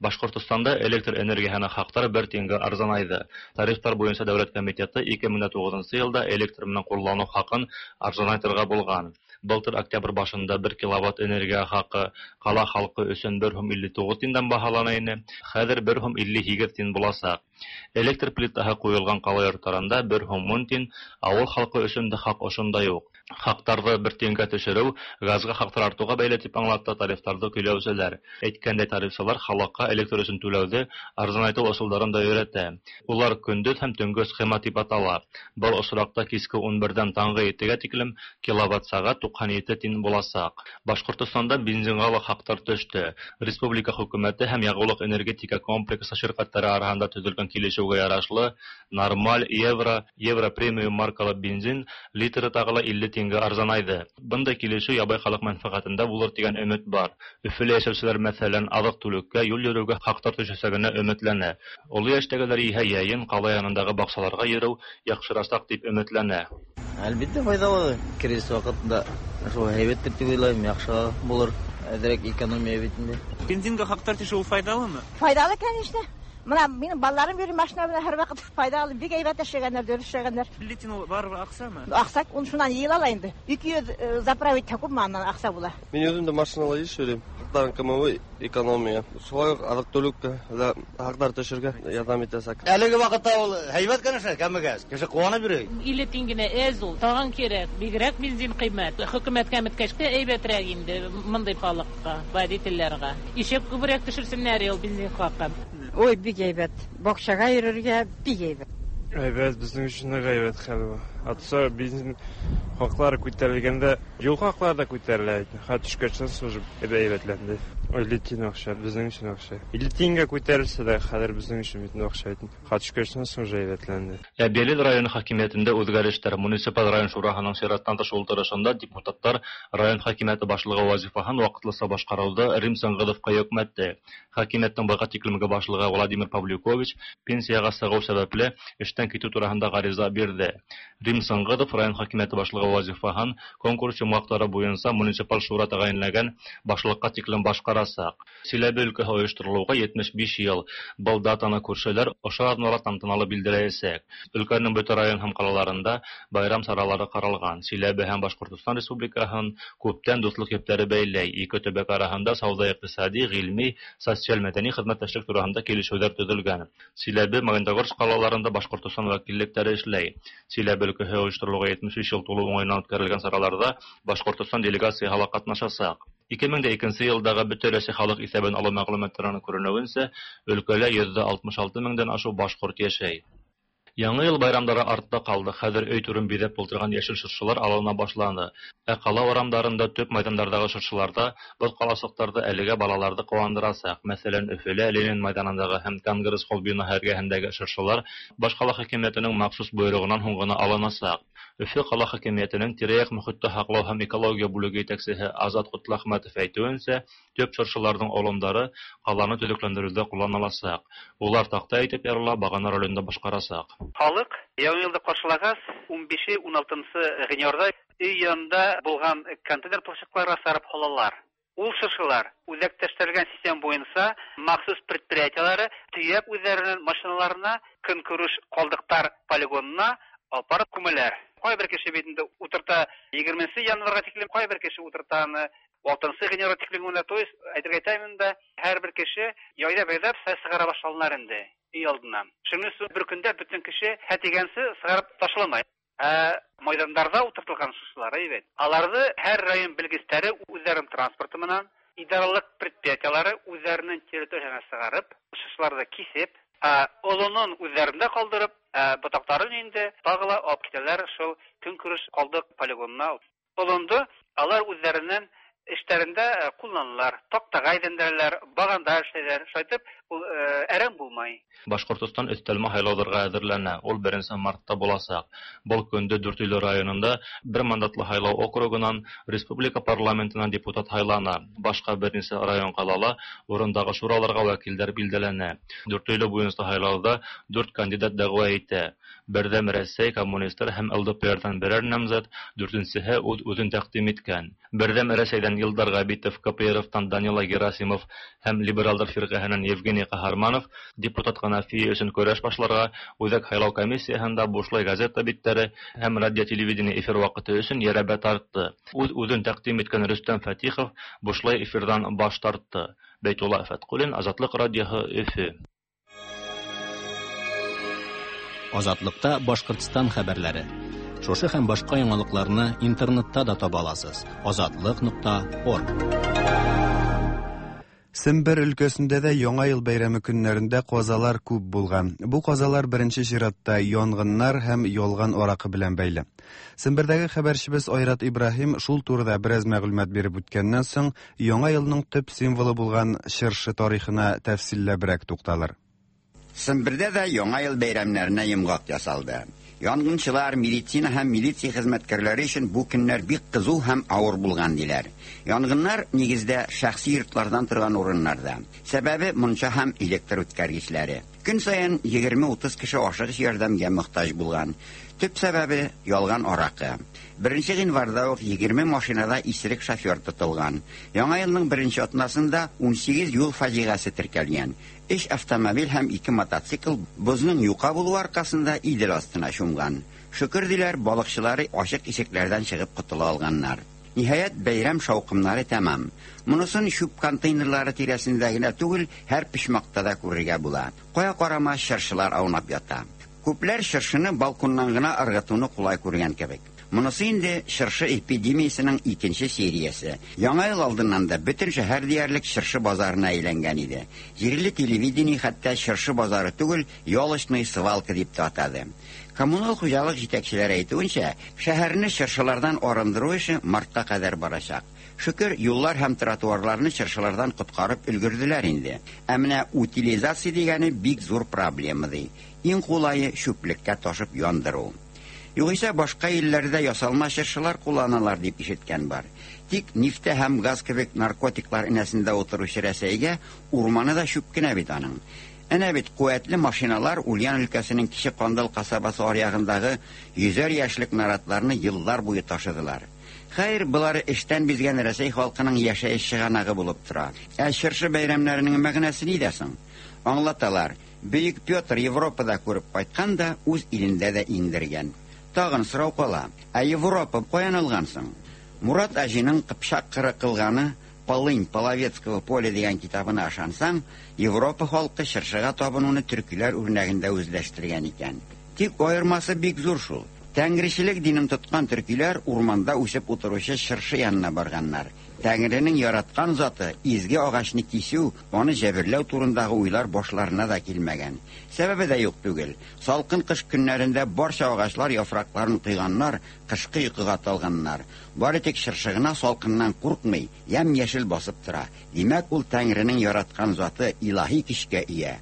Башкортостанда электр энергияһына хаҡтар бер тингә арзанайды. Тарифтар буйынса дәүләт комитеты ике мең тугызынсы елда электр менән куллану хаҡын арзанайтырға булған. Былтыр октябрь башында бер киловатт энергия хаҡы ҡала халҡы өсөн бер һум илле туғыҙ тиндән баһалана ине, хәҙер бер һум илле һигеҙ тин буласаҡ. Электр плитаһы ҡуйылған ҡала йорттарында бер һум ун тин, ауыл халҡы өсөн дә хаҡ ошондай уҡ. Хаҡтарҙы бер тингә төшөрөү газға хаҡтар артыуға бәйле тип аңлатты тарифтарҙы көйләүселәр. Әйткәндәй, тарифсылар халыҡҡа электр өсөн түләүҙе арзанайтыу ысулдарын да өйрәтә. Улар көндөҙ һәм төнгө схема тип атала. Был осраҡта киске ун берҙән таңғы етегә тиклем киловатт сәғәт туҡһан ете тин буласаҡ. Башҡортостанда бензинға ла хаҡтар төштө. Республика хөкүмәте һәм яғыулыҡ энергетика комплексы ширкәттәре араһында төҙөлгән килешеүгә ярашлы нормаль евро, евро премиум маркалы бензин литры тағы ла илле тингә арзанайды. Бындай килешеү ябай халыҡ мәнфәғәтендә булыр тигән өмөт бар. Өфөлә йәшәүселәр, мәҫәлән, аҙыҡ-түлеккә, юл йөрөүгә хаҡтар төшәсәгенә өмөтләнә. Оло йәштәгеләр иһә йәйен ҡала янындағы баҡсаларға йөрөү яҡшырасаҡ тип өмөтләнә. Әлбиттә файҙалы. Кризис ваҡытында шул һәйбәттер тип уйлайым, яҡшы булыр. Әҙерәк экономия бит инде. Бензинға хаҡтар төшөү файҙалымы? Файҙалы, конечно. Мына минең балаларым йөрөй машина менән һәр ваҡыт файҙалы, бик һәйбәт эшләгәндәр, дөрөҫ эшләгәндәр. Илле тин ул барыбер аҡсамы? Аҡса, ун шунан йыйыла ла инде. Ике йөҙ заправить күпме анан аҡса була. Мин үҙем дә машинала еш йөрөйм. Хаҡтарҙың кимеүе экономия. Шулай уҡ аҙыҡ-түлеккә лә хаҡтар төшөргә ярҙам итәсәк. Әлеге ваҡытта ул һәйбәт, конечно, кәмегәс. Кеше ҡыуанып йөрөй. Илле тин генә әҙ ул, тағын кәрәк. Бигерәк бензин ҡиммәт. Хөкүмәт кәметкәс тә һәйбәтерәк инде мындай халыҡҡа, водителдәргә. Ишек күберәк төшөрсөннәр ул бензин хаҡын. Ой, бик әйбәт. Баҡсаға йөрөргә бик әйбәт. Әйбәт, беҙҙең өсөн ныҡ әйбәт хәл был. Атса бензин хаҡлары күтәрелгәндә, юл хаҡлары да күтәрелә. Хат төшкәс уже әйбәтләнде. Илле тин аҡса, беҙҙең өсөн аҡса. Илле тингә күтәрелсә дә, хәҙер беҙҙең өсөн бит аҡса. Хат төшкәс уже әйбәтләнде. Әбйәлил районы хакимиәтендә үҙгәрештәр. Муниципаль район шураһының сираттан тыш ултырышында депутаттар район хакимиәте башлығы вазифаһын ваҡытлыса башҡарыуҙы Рим Сыңғыҙовҡа йөкмәтте. Хакимиәттең быға тиклемге башлығы Владимир Павлюкович пенсияға сығыу сәбәпле эштән китеү тураһында ғариза бирҙе. Рим Сыңғыҙов район хакимиәте башлығы вазифаһын конкурс йомғаҡтары буйынса муниципаль шура тәғәйенләгән башлыҡҡа тиклем башҡарасаҡ. Силәбе өлкәһе ойошторолоуға етмеш биш йыл. Был датаны күршеләр ошо аҙнала тантаналы билдәләйәсәк. Өлкәнең бөтә район һәм ҡалаларында байрам саралары ҡаралған. Силәбе һәм Башҡортостан Республикаһын күптән дуҫлыҡ ептәре бәйләй. Ике төбәк араһында сауҙа-иҡтисади, ғилми, социаль-мәҙәни хеҙмәттәшлек тураһында килешеүҙәр төҙөлгән. Силәбе, Магнитогорск ҡалаларында Башҡортостан вәкиллектәре эшләй. Силәбе өлкәһе ойошторолоуға етмеш биш йыл тулыу уңайынан үткәрелгән сараларҙа Башҡортостан делегацияһы ла ҡатнашасаҡ. Ике мең дә икенсе йылдағы бөтә Рәсәй халыҡ иҫәбен алыу мәғлүмәттәренән күренеүенсә, өлкәлә йөҙҙә алтмыш алты меңдән ашыу башҡорт йәшәй. Яңы йыл байрамдары артта ҡалды. Хәҙер өй түрен биҙәп ултырған йәшел шыршылар алына башланы. Ә ҡала урамдарында, төп майҙандарҙағы шыршыларҙа был ҡаласыҡтарҙы әлегә балаларҙы ҡыуандырасаҡ. Мәҫәлән, Өфөлә Ленин майҙанындағы һәм Конгресс холл бинаһы эргәһендәге шыршылар баш ҡала хакимиәтенең махсус бойороғонан һуң ғына алынасаҡ. Өфө ҡала хакимиәтенең тирә-яҡ мөхитте һаҡлау һәм экология бүлеге етәксеһе Азат Ҡотләхмәтов әйтеүенсә, төп шыршыларҙың оломдары ҡаланы төҙөкләндереүҙә ҡулланыласаҡ. Улар таҡта итеп ярыла, бағана ролендә башҡарасаҡ. Халыҡ яңы йылды ҡаршылағас ун бише ун алтынсы ғинуарҙа өй янында булған контейнер площадкаларға сарып һалалар. Ул шыршылар үҙәкләштерелгән система буйынса махсус предприятиелары төйәп үҙҙәренең машиналарына көнкүреш ҡалдыҡтар полигонына алып барып күмәләр. Ҡайбер кеше бит инде ултырта егерменсе январға тиклем, ҡайбер кеше ултырта аны алтынсы ғинуарға тиклем генә, то есть әйтергә әйтәмен дә, һәр бер кеше яйлап-яйлап сығара башланар инде өй алдынан. Шуның өсөн бер көндә бөтөн кеше һә тигәнсе сығарып ташламай. Ә майҙандарҙа ултыртылған шыршылар әйбәт. Аларҙы һәр район белгестәре үҙҙәренең транспорты менән, идаралыҡ предприятиелары үҙҙәренең территорияһына сығарып, шыршыларҙы кисеп, ә олонон үҙҙәрендә ҡалдырып, ә ботаҡтарын инде тағы ла алып китәләр шул көнкүреш ҡалдыҡ полигонына. Олондо алар үҙҙәренең эштәрендә ҡулланалар, таҡтаға әйләндерәләр, бағанда эшләйләр. Шулай итеп, ул әрәм булмай. Башҡортостан өҫтәлмә һайлауҙарға әҙерләнә. Ул беренсе мартта буласаҡ. Был көндө Дүртөйлө районында бер мандатлы һайлау округынан республика парламентына депутат һайлана. Башҡа бер нисә район ҡалала урындағы шураларға вәкилдәр билдәләнә. Дүртөйлө буйынса һайлауҙа дүрт кандидат дәғүә итә. Берҙәм Рәсәй, коммунистар һәм Л Д П Рҙан берәр намзат, дүртенсеһе үҙ-үҙен тәҡдим иткән. Берҙәм Рәсәйҙән Илдар Ғәбитов, К П Р-тан Данила Герасимов һәм Либералдар фирҡәһенән Евгений Ҡаһарманов депутат ҡәнәфие өсөн көрәш башларға Үҙәк һайлау комиссияһында бушлай газета биттәре һәм радио-телевидение эфир ваҡыты өсөн йәрәбә тартты. Үҙ-үҙен тәҡдим иткән Рөстәм Фәтихов бушлай эфирҙан баш тартты. Бәйтулла Фәтҡуллин, Азатлыҡ радиоһы, Өфө. Азатлыкта Башҡортостан хәбәрләре. Шушы һәм башҡа яңалыҡларны интернетта да таба аласыз. Азатлык нуҡта орг. Сембер өлкәсендә дә Яңа йыл бәйрәме көннәрендә ҡазалар күп булған. Бу ҡазалар беренче чиратта янгыннар һәм ялган аракы белән бәйле. Сембердәге хәбәрчебез Айрат Ибраһим шул турыда бераз мәгълүмат биреп үткәннән соң, Яңа йылның төп символы булган чыршы тарихына тәфсилләбрәк тукталыр. Сембердә дә Яңа йыл бәйрәмнәренә йомғаҡ ясалды. Янгынчылар, медицина һәм милиция хезмәткәрләре өчен бу көннәр бик кызу һәм авыр булган диләр. Янгыннар нигездә шәхси йортлардан торган урыннарда. Сәбәбе мунча һәм электр үткәргечләре. Көн саен егерме утыз кеше ашыгыч ярдәмгә мохтаҗ булган. Төп сәбәбе ялган аракы. Беренче гыйнварда ук егерме машинада исерек шофер тотылган. Яңа елның беренче атнасында ун сигеҙ юл фаҗиғәсе теркәлгән. Өч автомобиль һәм ике мотоцикл бозның юка булуы аркасында Идел астына чумган. Шөкер диләр, балыкчылары ачык ишекләрдән чыгып котыла алганнар. Ниһаять, бәйрәм шауҡымнары тәмам. Монысын чүп контейнерлары тирәсендә генә түгел, һәр почмакта да күрергә була. Кая карама чыршылар аунап ята. Күпләр чыршыны балконнан гына ыргытуны кулай күргән кебек. Монысы инде чыршы эпидемиясының икенче сериясе. Яңа ел алдыннан да бөтен шәһәр диярлек чыршы базарына әйләнгән иде. Җирле телевидение хәтта чыршы базары түгел, ялочный свалка дип тә атады. Коммунал хуҗалык җитәкчеләре әйтүенчә, шәһәрне чыршылардан арындыру эше мартка кадәр барачак. Шөкер, юллар һәм тротуарларны чыршылардан коткарып өлгерделәр инде. Ә менә утилизация дигәне бик зур проблема ди. Иң кулае чүплеккә ташып яндыру. Югыйсә башка илләрдә ясалма чыршылар кулланалар дип ишеткән бар. Тик нефтә һәм газ кебек наркотиклар инәсендә утыручы Рәсәйгә урманы да чүп кенә бит аның. Әнә бит куәтле машиналар Ульян өлкәсенең Кече Кандал касабасы аръягындагы йөзәр яшьлек наратларны еллар буе ташыдылар. Хәер, болары эштән бизгән Рәсәй халкының яшәеш чыганагы булып тора. Ә чыршы бәйрәмнәренең мәгънәсе нидә соң? Аңлаталар. Бөек Петр Европада күреп кайткан да үз илендә дә иңдергән. Тагын сорау кала. Ә Европа каян алган соң? Мурат Аҗиның Кыпчак кыры кылганы Полынь Половецкого поля дигән китабына ышансаң, Европа халкы чыршыга табынуны төркиләр үрнәгендә үзләштергән икән. Тик аермасы бик зур шул. Тәңречелек динен тоткан төркиләр урманда үсеп утыручы чыршы янына барганнар. Тәңренең яраткан заты изге агачны кисү, аны җәберләү турындагы уйлар башларына да килмәгән. Сәбәбе дә юк түгел. Салкын кыш көннәрендә барча агачлар яфракларын кыйганнар, кышкы йокыга талганнар. Бары тик чыршы гына салкыннан куркмый, ямь-яшел басып тора. Димәк, ул Тәңренең яраткан заты илаһи көчкә ия.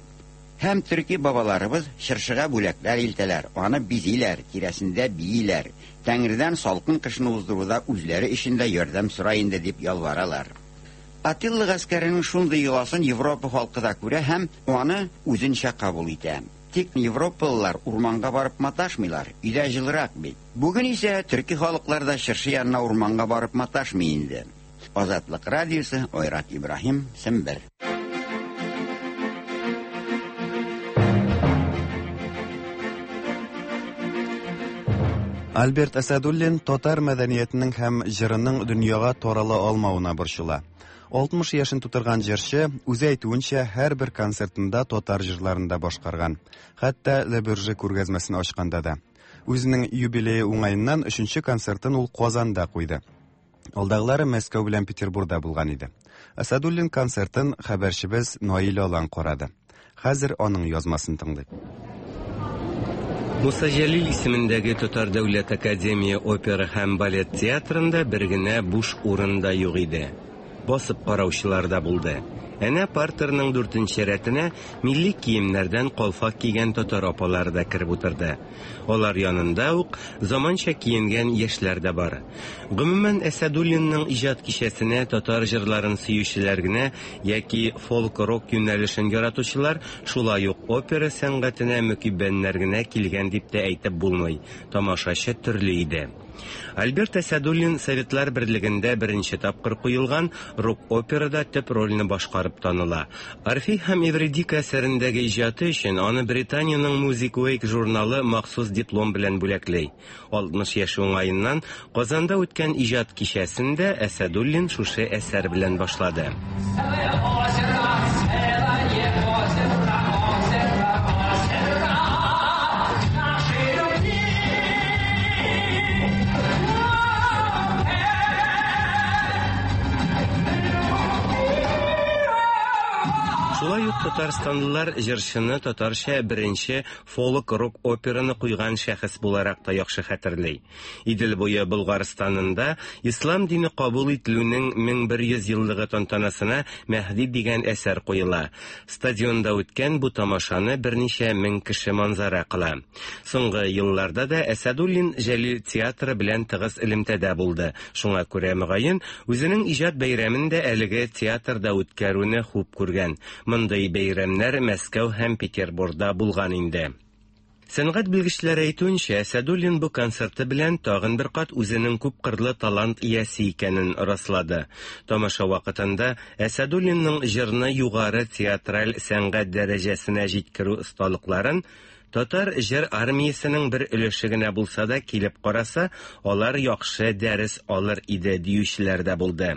Һәм төрки бабаларыбыз чыршыга бүләкләр илтәләр, аны бизиләр, тирәсендә бииләр. Тәңредән салкын кышны уздыруда үзләре өчен дә ярдәм сора инде дип ялваралар. Атилла гаскәренең шундый йоласын Европа халкы да күрә һәм аны үзенчә кабул итә. Тик европалылар урманга барып маташмыйлар, өйдә җылырак бит. Бүген исә төрки халыклар да чыршы янына урманга барып маташмый инде. Азатлык радиосы, Айрат Ибраһим, Сембер. Альберт Әсәдуллин татар мәдәниятенең һәм җырының дөньяга тарала алмавына борчыла. алтмыш яшен тутырган җырчы үзе әйтүенчә һәрбер концертында татар җырларын да башкарган. Хәтта Ле Бюрже күргәзмәсен ачканда да. Үзенең юбилее уңаеннан өченче концертын ул Казанда куйды. Алдагылары Мәскәү белән Петербургда булган иде. Әсәдуллин концертын хәбәрчебез Наил Алан карады. Хәзер аның язмасын тыңлыйк. Муса Җәлил исемендәге Татар дәүләт академия опера һәм балет театрында бер генә буш урын да юк иде. Басып караучылар да булды. Әнә партерның дүртенче рәтенә милли киемнәрдән калфак кигән татар апалары да кереп утырды. Алар янында ук заманча киенгән яшьләр дә бар. Гомумән, Әсәдуллинның иҗат кичәсенә татар җырларын сөючеләр генә яки фолк-рок юнәлешен яратучылар, шулай ук опера сәнгатенә мөкиббәннәр генә килгән дип тә әйтеп булмый. Тамашачы төрле иде. Альберт Әсәдуллин Советлар Берлегендә беренче тапкыр куелган рок-операда төп рольне башкарып таныла. Орфей һәм Эвридика әсәрендәге иҗаты өчен аны Британиянең Music Week журналы махсус диплом белән бүләкли. алтмыш яше уңаеннан Казанда үткән иҗат кичәсендә Әсәдуллин шушы әсәр белән башлады. Шулай ук татарстанлылар җырчыны татарча беренче фолк-рок операны куйган шәхес буларак та яхшы хәтерли. Идел буе Болгарстанында ислам дине кабул ителүнең мең бер йөз еллыгы тантанасына Мәһди дигән әсәр куела. Стадионда үткән бу тамашаны берничә мең кеше манзара кыла. Соңгы елларда да Әсәдуллин Җәлил театры белән тыгыз элемтәдә булды. Шуңа күрә мөгаен үзенең иҗат бәйрәмен дә әлеге театрда үткәрүне хуп күргән. Мондый бәйрәмнәр Мәскәү һәм Петербургда булган инде. Сәнгать белгечләре әйтүенчә, Әсәдуллин бу концерты белән тагын бер кат үзенең күпкырлы талант иясе икәнен раслады. Тамаша вакытында Әсәдуллинның җырны югары театраль сәнгать дәрәҗәсенә җиткерү осталыкларын татар җыр армиясенең бер өлеше генә булса да килеп караса, алар яхшы дәрес алыр иде диючеләр дә булды.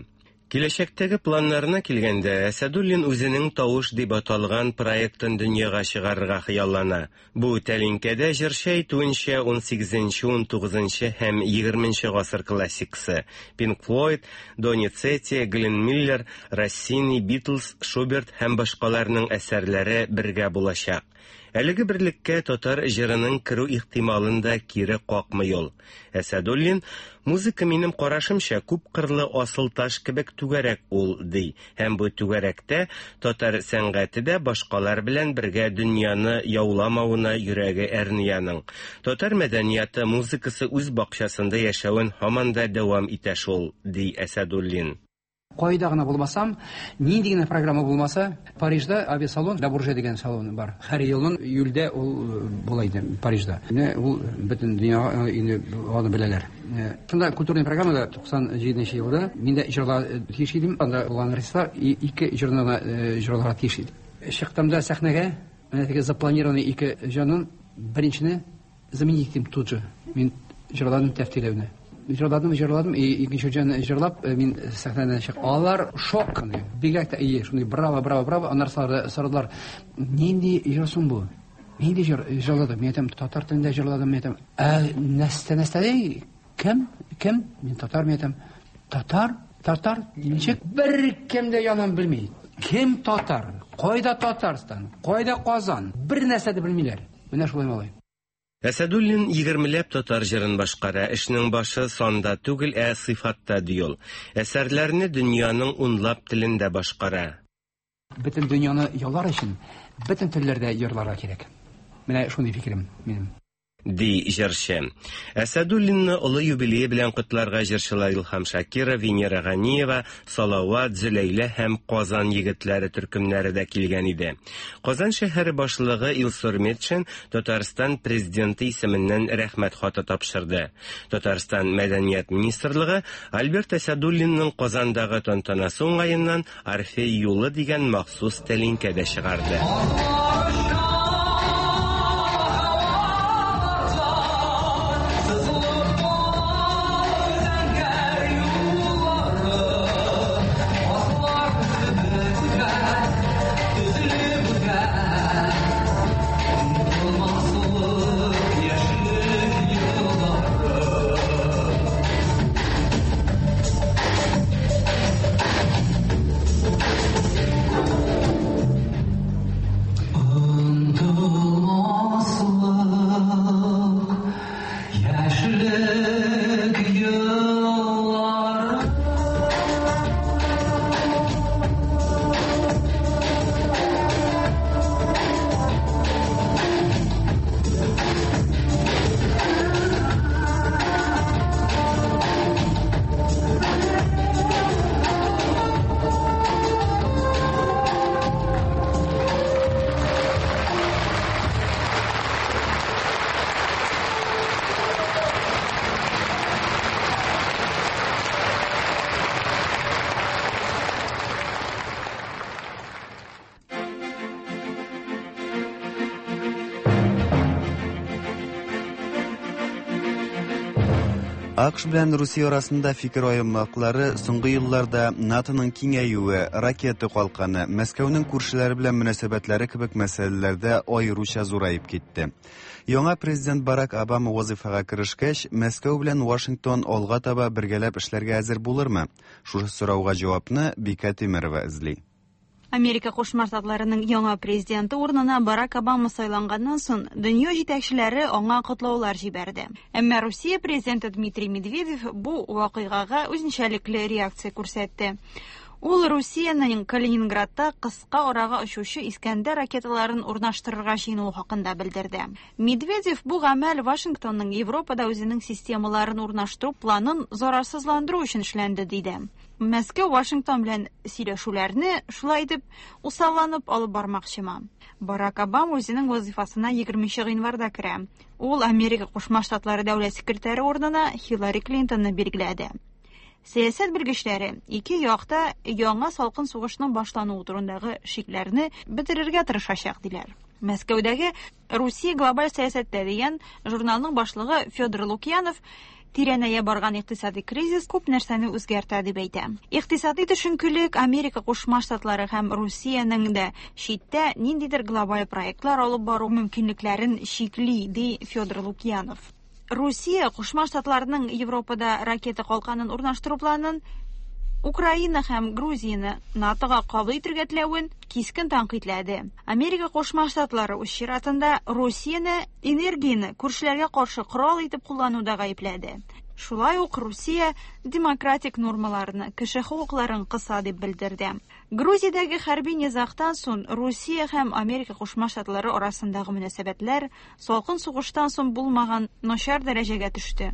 Киләчәктәге планнарына килгәндә, Әсәдуллин үзенең Тавыш дип аталган проектын дөньяга чыгарырга хыяллана. Бу тәлинкәдә җырчы әйтүенчә ун сигезенче, ун тугызынчы һәм егерменче гасыр классикасы Pink Floyd, Доницетти, Гленн Миллер, Россини, Битлз, Шуберт һәм башкаларның әсәрләре бергә булачак. Әлеге берлеккә татар җырының керү ихтималын да кире какмый ул. Әсәдуллин, музыка минем карашымча күпкырлы асыл таш кебек түгәрәк ул, ди. Һәм бу түгәрәктә татар сәнгате дә башкалар белән бергә дөньяны яуламавына йөрәге әрнияның. Татар мәдәнияты музыкасы үз бакчасында яшәвен һаман да дәвам итә шул, ди Әсәдуллин. Кайда гына булмасам, нинди генә программа булмаса, Парижда авиасалон, Ла Бурже дигән салон бар. Һәр елның июльдә ул була иде Парижда. Менә ул бөтен дөньяга инде аны беләләр. Шунда культурный программада туксан җиденче елда мин дә җырларга тиеш идем. Анда булган артистлар ике җырны гына җырларга тиеш иде. Чыктым да сәхнәгә, менә теге запланированный ике җырның беренчене заменить иттем тут же. Мин җырладым тәфтиләүне. Җырладым, җырладым, и икенче җырны җырлап, мин сәхнәдән чыктым. Алар шок, бигрәк тә ие, шундый браво, браво, браво. Аннары сорадылар, нинди җыр соң бу? Нинди җыр җырладым? Мин әйтәм, татар телендә җырладым, мин әйтәм. Ә нәрсә, нәрсә ди? Кем? Кем? Мин татар, мин әйтәм. Татар? Татар? Ничек? Бер кем дә янын белми. Кем татар? Кайда Татарстан? Кайда Казан? Бер нәрсә дә белмиләр. Менә шулай малай. Әсәдуллин егермеләп татар җырын башкара. Эшнең башы санда түгел, ә сыйфатта ди ул. Әсәрләрне дөньяның унлап телендә башкара. Бөтен дөньяны яулар өчен бөтен телләрдә йырларга кирәк. Менә шундый фикерем минем. Ди җырчы. Әсәдуллинны олы юбилее белән котларга җырчылар Илһам Шакиров, Венера Ганиева, Салават, Зөләйлә һәм Казан егетләре төркемнәре дә килгән иде. Казан шәһәре башлыгы Илсур Метшин Татарстан президенты исеменнән рәхмәт хаты тапшырды. Татарстан мәдәният министрлыгы Альберт Әсәдуллинның Казандагы тантанасы уңаеннан Орфей юлы дигән махсус тәлинкә дә чыгарды. АКШ белән Русия арасында фикер аермалыклары соңгы елларда НАТОның киңәюе, ракета калканы, Мәскәүнең күршеләре белән мөнәсәбәтләре кебек мәсьәләләрдә аеруча зураеп китте. Яңа президент Барак Обама вазифага керешкәч, Мәскәү белән Вашингтон алга таба бергәләп эшләргә әзер булырмы? Шушы сорауга җавапны Бикә Тимерова эзли. Америка Кушма Штатларының яңа президенты урынына Барак Обама сайланганнан соң, дөнья җитәкчеләре аңа котлаулар җибәрде. Әмма Русия президенты Дмитрий Медведев бу вакыйгага үзенчәлекле реакция күрсәтте. Ул Русиянең Калининградта кыска арага очучы Искәндәр ракеталарын урнаштырырга җыенуы хакында белдерде. Медведев бу гамәл Вашингтонның Европада үзенең системаларын урнаштыру планын зарарсызландыру өчен эшләнде, диде. Мәскәү Вашингтон белән сөйләшүләрне шулай итеп усалланып алып бармакчымы? Барак Обама үзенең вазифасына егерменче гыйнварда керә. Ул Америка Кушма Штатлары дәүләт секретаре урынына Хиллари Клинтонны билгеләде. Сәясәт белгечләре ике якта яңа салкын сугышның башлануы турындагы шикләрне бетерергә тырышачак диләр. Мәскәүдәге Русия глобаль сәясәттә дигән журналның башлыгы Федор Лукьянов тирәнәя барган икътисади кризис күп нәрсәне үзгәртә дип әйтә. Икътисади төшенкелек Америка Кушма Штатлары һәм Русиянең дә читтә ниндидер глобаль проектлар алып бару мөмкинлекләрен чикли, ди Федор Лукьянов. Русия Кушма Штатларының Европада ракета калканын урнаштыру планын, Украина һәм Грузияне НАТОга кабул итәргә теләвен кискен тәнкыйтьләде. Америка Кушма Штатлары үз чиратында Русияне энергияне күршеләргә каршы корал итеп куллануда гаепләде. Шулай ук Русия демократик нормаларны, кеше хокукларын кыса дип белдерде. Грузиядәге хәрби низагтан соң Русия һәм Америка Кушма Штатлары арасындагы мөнәсәбәтләр салкын сугыштан соң булмаган начар дәрәҗәгә төште.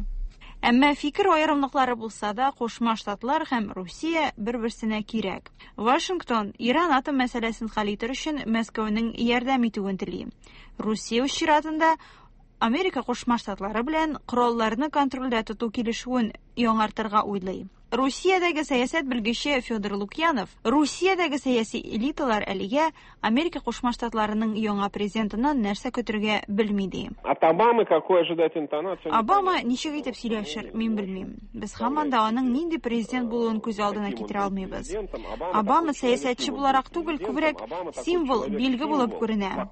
Әмма фикер аерымлыклары булса да, Кушма Штатлар һәм Русия бер-берсенә кирәк. Вашингтон Иран атом мәсьәләсен хәл итәр өчен Мәскәүнең ярдәм итүен тели. Русия үз чиратында Америка Кушма Штатлары белән коралларны контрольдә тоту килешүен яңартырга уйлый. Русиядәге сәясәт белгече Федор Лукьянов Русиядәге сәяси элиталар әлегә Америка Кушма Штатларының яңа президентыннан нәрсә көтергә белми ди. От Обамы какой ожидать интонацию? Обама ничек итеп сөйләшер, мин белмим. Без һаман да аның нинди президент булуын күз алдына китерә алмыйбыз. Обама сәясәтче буларак түгел, күбрәк символ, билге булып күренә.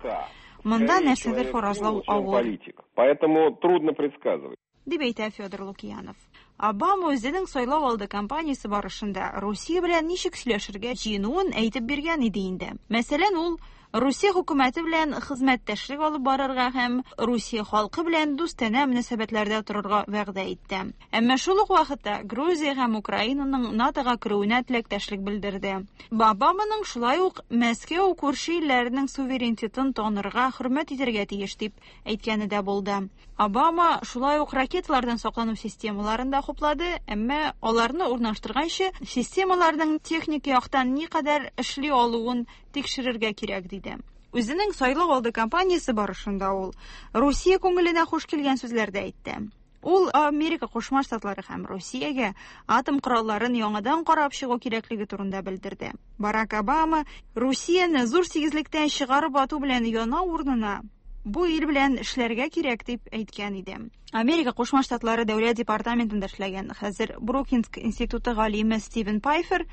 Монда нәрсәдер фаразлау авыр. Поэтому трудно предсказывать. Дип әйтә Федор Лукьянов. Обама үзенең сайлау алды кампаниясе барышында Русия белән ничек сөйләшергә җыенуын әйтеп биргән иде инде. Мәсәлән, ул Русия хөкүмәте белән хезмәттәшлек алып барырга һәм Русия халкы белән дустанә мөнәсәбәтләрдә торырга вәгъдә итте. Әмма шул ук вакытта Грузия һәм Украинаның НАТОга керүенә теләктәшлек белдерде. Обаманың шулай ук Мәскәү күрше илләренең суверенитетын танырга, хөрмәт итәргә тиеш дип әйткәне дә булды. Обама шулай ук ракеталардан саклану системаларын да хуплады, әмма аларны урнаштырганчы системаларның техник яктан никадәр эшли алуын тикшерергә кирәк диде. Үзенең сайлау алды кампаниясе барышында ул Русия күңеленә хуш килгән сүзләр дә әйтте. Ул Америка Кушма Штатлары һәм Русиягә атом коралларын яңадан карап чыгу кирәклеге турында белдерде. Барак Обама Русияне зур сигезлектән чыгарып ату белән янау урынына бу ил белән эшләргә кирәк дип әйткән иде. Америка Кушма Штатлары Дәүләт департаментында эшләгән хәзер Брукингс институты галиме Стивен Пайфер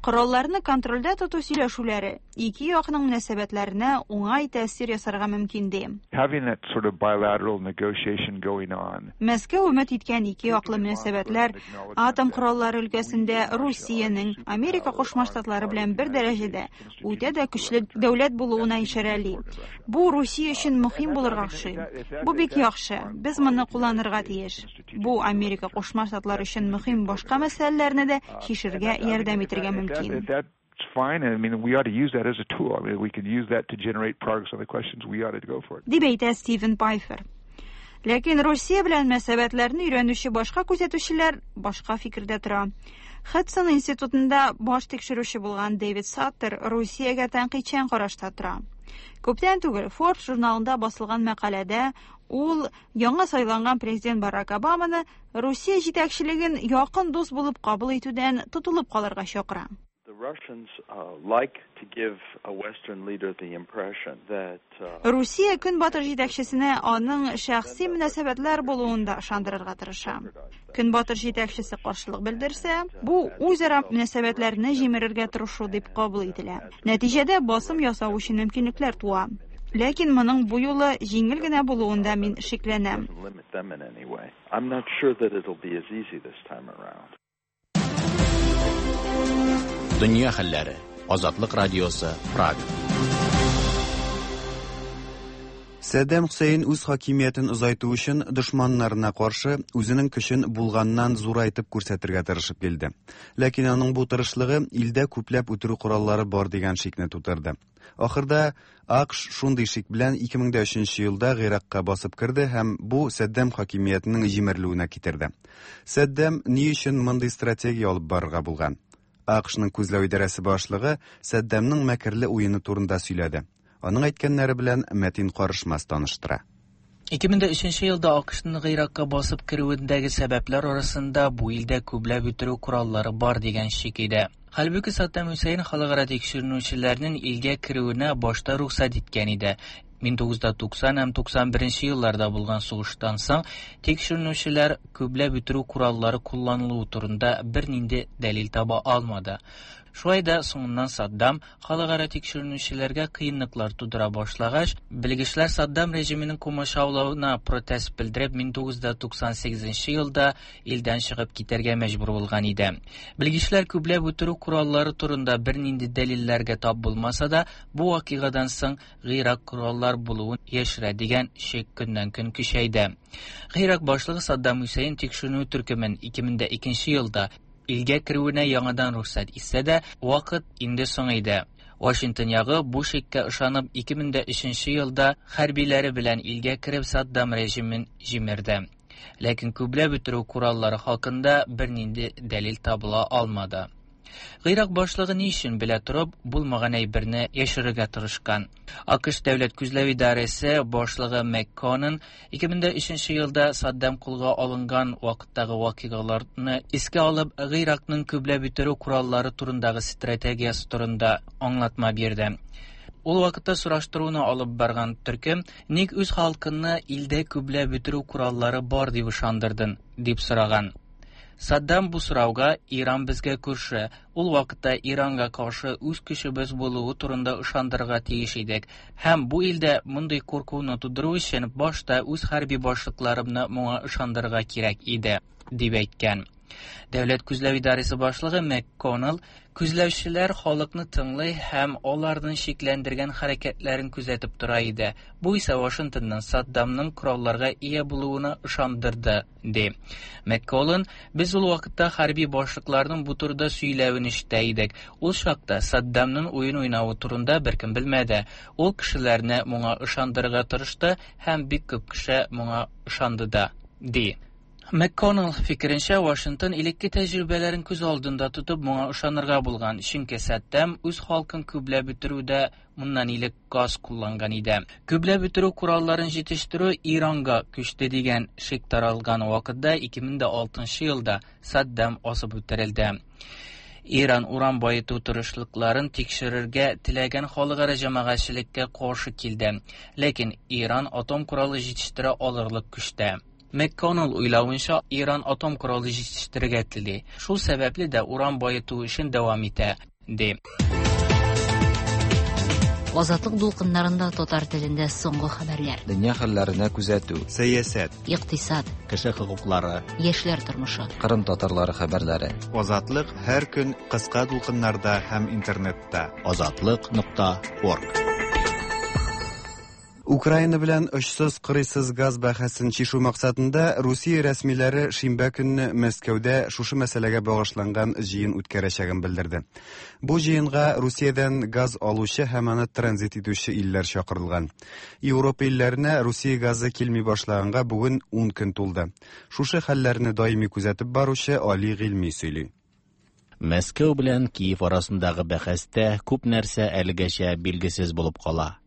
коралларны контрольдә тоту сөйләшүләре ике якның мөнәсәбәтләренә уңай тәэсир ясарга мөмкин ди. Having that sort of bilateral negotiation going on. Мәскәү өмет иткән ике яклы мөнәсәбәтләр атом кораллары өлкәсендә Русиянең Америка Кушма Штатлары белән бер дәрәҗәдә үтә дә көчле дәүләт булуына ишарәли. Бу Русия өчен мөһим булырга охшый. Бу бик яхшы. Без моны кулланырга тиеш. Бу Америка Кушма Штатлары өчен мөһим башка мәсьәләләрне дә чишәргә ярдәм итәргә мөмкин. That, that's fine. I mean, we ought to use that as a tool. I mean, we can use that to generate progress on the questions. We ought to go for it. Дип әйтә Стивен Пайфер. Ләкин Русия белән мөнәсәбәтләрне өйрәнүче башка күзәтүчеләр башка фикердә тора. Хадсон институтында баш тикшерүче булган Дэвид Саттер Русиягә тәнкыйтьчән карашта тора. Күптән түгел Forbes журналында басылган мәкаләдә ул яңа сайланган президент Барак Обаманы Русия җитәкчелеген якын дус булып кабул итүдән тотылып калырга чакыра. The Russians uh, like to give a Western leader the impression that uh, Русия Көнбатыш җитәкчесенә аның шәхси мөнәсәбәтләр булуын да ышандырырга тырыша. Көнбатыш җитәкчесе каршылык белдерсә, бу үзара мөнәсәбәтләрне җимерергә тырышу дип кабул ителә. Нәтиҗәдә басым ясау өчен мөмкинлекләр туа. Ләкин моның бу юлы җиңел генә булуында мин шикләнәм. limit them in any way. I'm not sure that it'll be as easy this time around. Дөнья хәлләре. Азатлык радиосы, Прага. Сәддәм Хөсәен үз хакимиятен озайту өчен дошманнарына каршы үзенең көчен булганнан зурайтып күрсәтергә тырышып килде. Ләкин аның бу тырышлыгы илдә күпләп үтерү кораллары бар дигән шикне тудырды. Ахырда АКШ шундый шик белән ике мең дә өченче елда Гыйракка басып керде һәм бу Сәддәм хакимиятенең җимерелүенә китерде. Сәддәм ни өчен мондый стратегия алып барырга булган? АКШның күзләү идарәсе башлыгы Сәддәмнең мәкерле уены турында сөйләде. Аның әйткәннәре белән Мәтин Карышмас таныштыра. ике мең дә өченче елда АКШның Гыйракка басып керүендәге сәбәпләр арасында бу илдә күпләп үтерү кораллары бар дигән шик иде. Хәлбуки Саддам Хөсәен халыкара тикшеренүчеләрнең илгә керүенә башта рөхсәт иткән иде. мең тугыз йөз туксан һәм туксан беренче елларда булган сугыштан соң тикшеренүчеләр күпләп үтерү кораллары кулланылуы турында бернинди дәлил таба алмады. Шулай да соңыннан Саддам халыкара тикшеренүчеләргә кыенлыклар тудыра башлагач, белгечләр Саддам режимының комачаулавына протест белдереп мең тугыз йөз туксан сигезенче елда илдән чыгып китәргә мәҗбүр булган иде. Белгечләр күпләп үтерү кораллары турында бернинди дәлилләргә тап булмаса да, бу вакыйгадан соң Гыйрак кораллар булуын яшерә дигән шик көннән-көн көчәйде. Гыйрак башлыгы Саддам Хөсәен тикшеренү төркемен ике мең дә икенче елда илгә керүенә яңадан рөхсәт итсә дә, вакыт инде соң иде. Вашингтон ягы бу шиккә ышанып ике мең дә өченче елда хәрбиләре белән илгә кереп Саддам режимын җимерде. Ләкин күпләп үтерү кораллары хакында бернинди дәлил табыла алмады. Гыйрак башлыгы ни өчен белә торып булмаган әйберне яшерергә тырышкан? АКШ дәүләт күзләү идарәсе башлыгы МакКоннан ике мең дә өченче елда Саддам кулга алынган вакыттагы вакыйгаларны искә алып, Гыйракның күпләп үтерү кораллары турындагы стратегиясе турында аңлатма бирде. Ул вакытта сораштыруны алып барган төркем ник үз халкынны илдә күпләп үтерү кораллары бар дип ышандырдың, дип сораган. Саддам бу сорауга Иран безгә күрше, ул вакытта Иранга каршы үз көчебез булуы турында ышандырырга тиеш идек. Һәм бу илдә мондый куркуны тудыру өчен башта үз хәрби башлыкларымны моңа ышандырырга кирәк иде, дип әйткән. Дәүләт күзләү идарәсе башлыгы МакКоннелл күзләүчеләр халыкны тыңлый һәм аларның шикләндергән хәрәкәтләрен күзәтеп тора иде. Бу исә Вашингтонның Саддамның коралларга ия булуына ышандырды, ди. МакКоннелл: "Без ул вакытта хәрби башлыкларның бу турыда сөйләвен ишетә идек. Ул чакта Саддамның уен уйнавы турында беркем белмәде. Ул кешеләрне моңа ышандырырга тырышты һәм бик күп кеше моңа ышанды да", ди. МакКоннелл фикеренчә, Вашингтон элекке тәҗрибәләрен күз алдында тотып моңа ышанырга булган, чөнки Саддам үз халкын күпләп үтерүдә моннан элек газ кулланган иде. Күпләп үтерү коралларын җитештерү Иранга күчте дигән шик таралган вакытта ике мең алтынчы елда Саддам асып үтерелде. Иран уран баету тырышлыкларын тикшерергә теләгән халыкара җәмәгатьчелеккә каршы килде. Ләкин Иран атом коралы җитештерә алырлык көчтә. МакКоннелл уйлавынча, Иран атом коралы җитештерергә тели. Шул сәбәпле дә уран баету эшен дәвам итә, ди. Азатлык дулкыннарында татар телендә соңгы хәбәрләр. Дөнья хәлләренә күзәтү. Сәясәт. Икътисад. Кеше хокуклары. Яшьләр тормышы. Кырым татарлары хәбәрләре. Азатлык һәр көн кыска дулкыннарда һәм интернетта. Азатлык нокта орг. Украина белән очсыз кырыйсыз газ бәхәсен чишү максатында Русия рәсмиләре шимбә көнне Мәскәүдә шушы мәсьәләгә багышланган җыен үткәрәчәген белдерде. Бу җыенга Русиядән газ алучы һәм аны транзит итүче илләр чакырылган. Европа илләренә Русия газы килми башлаганга бүген ун көн тулды. Шушы хәлләрне даими күзәтеп баручы Али Гыйльми сөйли. Мәскәү белән Киев арасындагы бәхәстә күп нәрсә әлегәчә билгесез булып кала.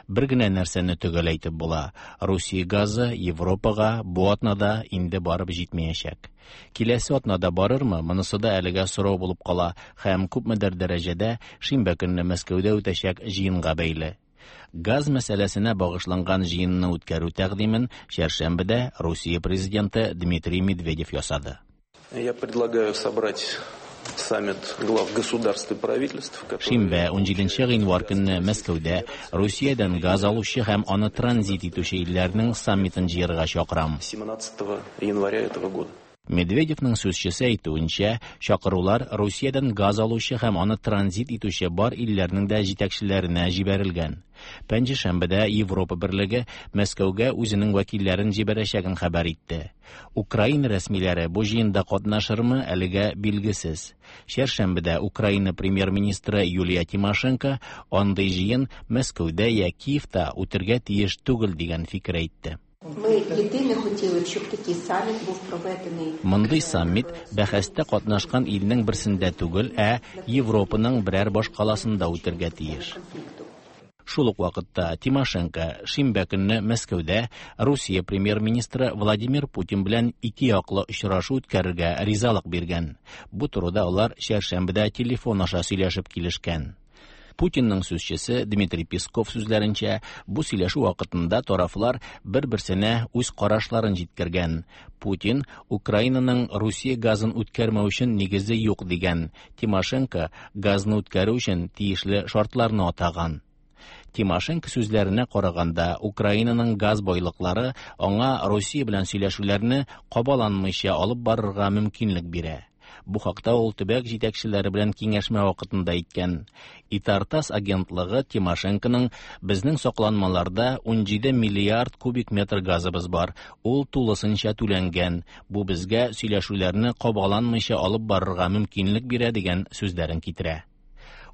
Бер генә нәрсәне төгәл әйтеп була: Русия газы Европага бу атнада инде барып җитмәячәк. Киләсе атнада барырмы, монысы да әлегә сорау булып кала һәм күпмедер дәрәҗәдә шимбә көнне Мәскәүдә үтәчәк җыенга бәйле. Газ мәсьәләсенә багышланган җыенны үткәрү тәкъдимен чәршәмбедә Русия президенты Дмитрий Медведев ясады. Я предлагаю собрать саммит глав государств и правительств. Шимбә унҗиденче гыйнвар көнне Мәскәүдә Русиядән газ алучы һәм аны транзит итүче илләрнең саммитын җыярга чакырам. семнадцатого января этого года. Медведевның сүзчесе әйтүенчә, чакырулар Русиядән газ алучы һәм аны транзит итүче бар илләрнең дә җитәкчеләренә җибәрелгән. Пәнҗешәмбедә Европа берлеге Мәскәүгә үзенең вәкилләрен җибәрәчәген хәбәр итте. Украина рәсмиләре бу җыенда катнашырмы, әлегә билгесез. Чәршәмбедә Украина премьер-министры Юлия Тимошенко андый җыен Мәскәүдә я Киевта үтергә тиеш түгел дигән фикер әйтте. Ми єдине хотіли б, щоб такий саміт був проведений. Мондый саммит бәхәстә катнашкан илнең берсендә түгел, ә Европаның берәр башкаласында үтергә тиеш. Шул ук вакытта Тимошенко шимбә көнне Мәскәүдә Русия премьер-министры Владимир Путин белән ике яклы очрашу үткәрергә ризалык биргән. Бу турыда алар чәршәмбедә телефон аша сөйләшеп килешкән. Путинның сүзчесе Дмитрий Песков сүзләренчә, бу сөйләшү вакытында тарафлар бер-берсенә үз карашларын җиткергән. Путин Украинаның Русия газын үткәрмәү өчен нигезе юк дигән. Тимошенко газны үткәрү өчен тиешле шартларны атаган. Тимошенко сүзләренә караганда, Украинаның газ байлыклары аңа Русия белән сөйләшүләрне кабаланмыйча алып барырга мөмкинлек бирә. Бу хакта ул төбәк җитәкчеләре белән киңәшмә вакытында әйткән. Итартас агентлыгы Тимошенконың безнең сакланмаларда унҗиде миллиард кубик метр газыбыз бар, ул тулысынча түләнгән, бу безгә сөйләшүләрне кабаланмыйча алып барырга мөмкинлек бирә дигән сүзләрен китерә.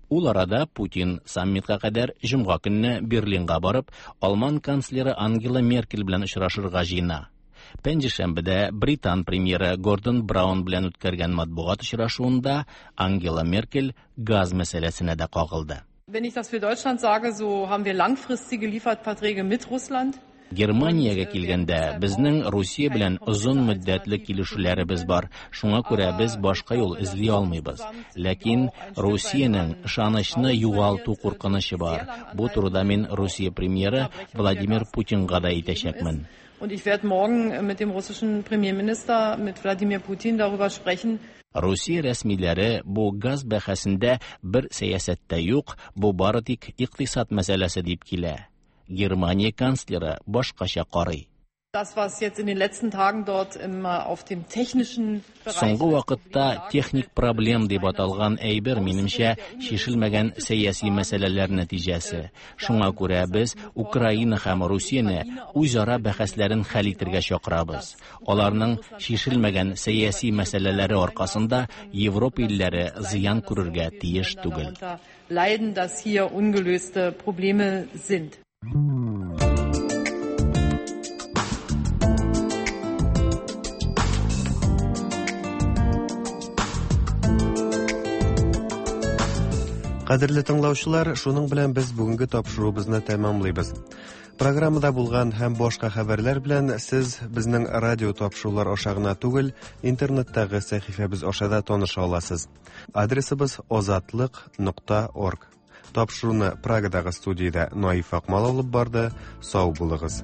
Ул арада Путин саммитка кадәр җомга көнне Берлинга барып, Алман канцлеры Ангела Меркель белән очрашырга җыена. Пәнҗешәмбедә Британ премьеры Гордон Браун белән үткәргән матбугат очрашуында Ангела Меркель газ мәсьәләсенә дә кагылды. Wenn ich das für Deutschland sage, so haben wir langfristige Lieferverträge mit Russland. Германиягә килгәндә, безнең Русия белән озын мөддәтле килешүләребез бар. Шуңа күрә без башка юл эзли алмыйбыз. Ләкин Русиянең ышанычны югалту куркынычы бар. Бу турыда мин Русия премьеры Владимир Путинга да әйтәчәкмен. Und ich werde morgen mit dem russischen Premierminister, mit Wladimir Putin darüber sprechen. Русия рәсмиләре бу газ бәхәсендә бер сәясәттә юк, бу бары тик икътисад мәсьәләсе дип килә. Германия канцлеры башкача карый. Das, was jetzt in den letzten Tagen dort immer auf dem technischen Соңгы вакытта техник проблем дип аталган әйбер, минемчә, чишелмәгән сәяси мәсьәләләр нәтиҗәсе. Шуңа күрә без Украина һәм Русияне үзара бәхәсләрен хәл итәргә чакырабыз. Аларның чишелмәгән сәяси мәсьәләләре аркасында Европа илләре зыян күрергә тиеш түгел. Leiden, dass hier ungelöste Probleme sind. Кадерле тыңлаучылар, шуның белән без бүгенге тапшыруыбызны тәмамлыйбыз. Программада булган һәм башка хәбәрләр белән сез безнең радио тапшырулар аша гына түгел, интернеттагы сәхифәбез аша да таныша аласыз. Адресыбыз озатлык нокта орг. Тапшыруны Прагадагы студиядә Наиф Акмал алып барды. Сау булыгыз.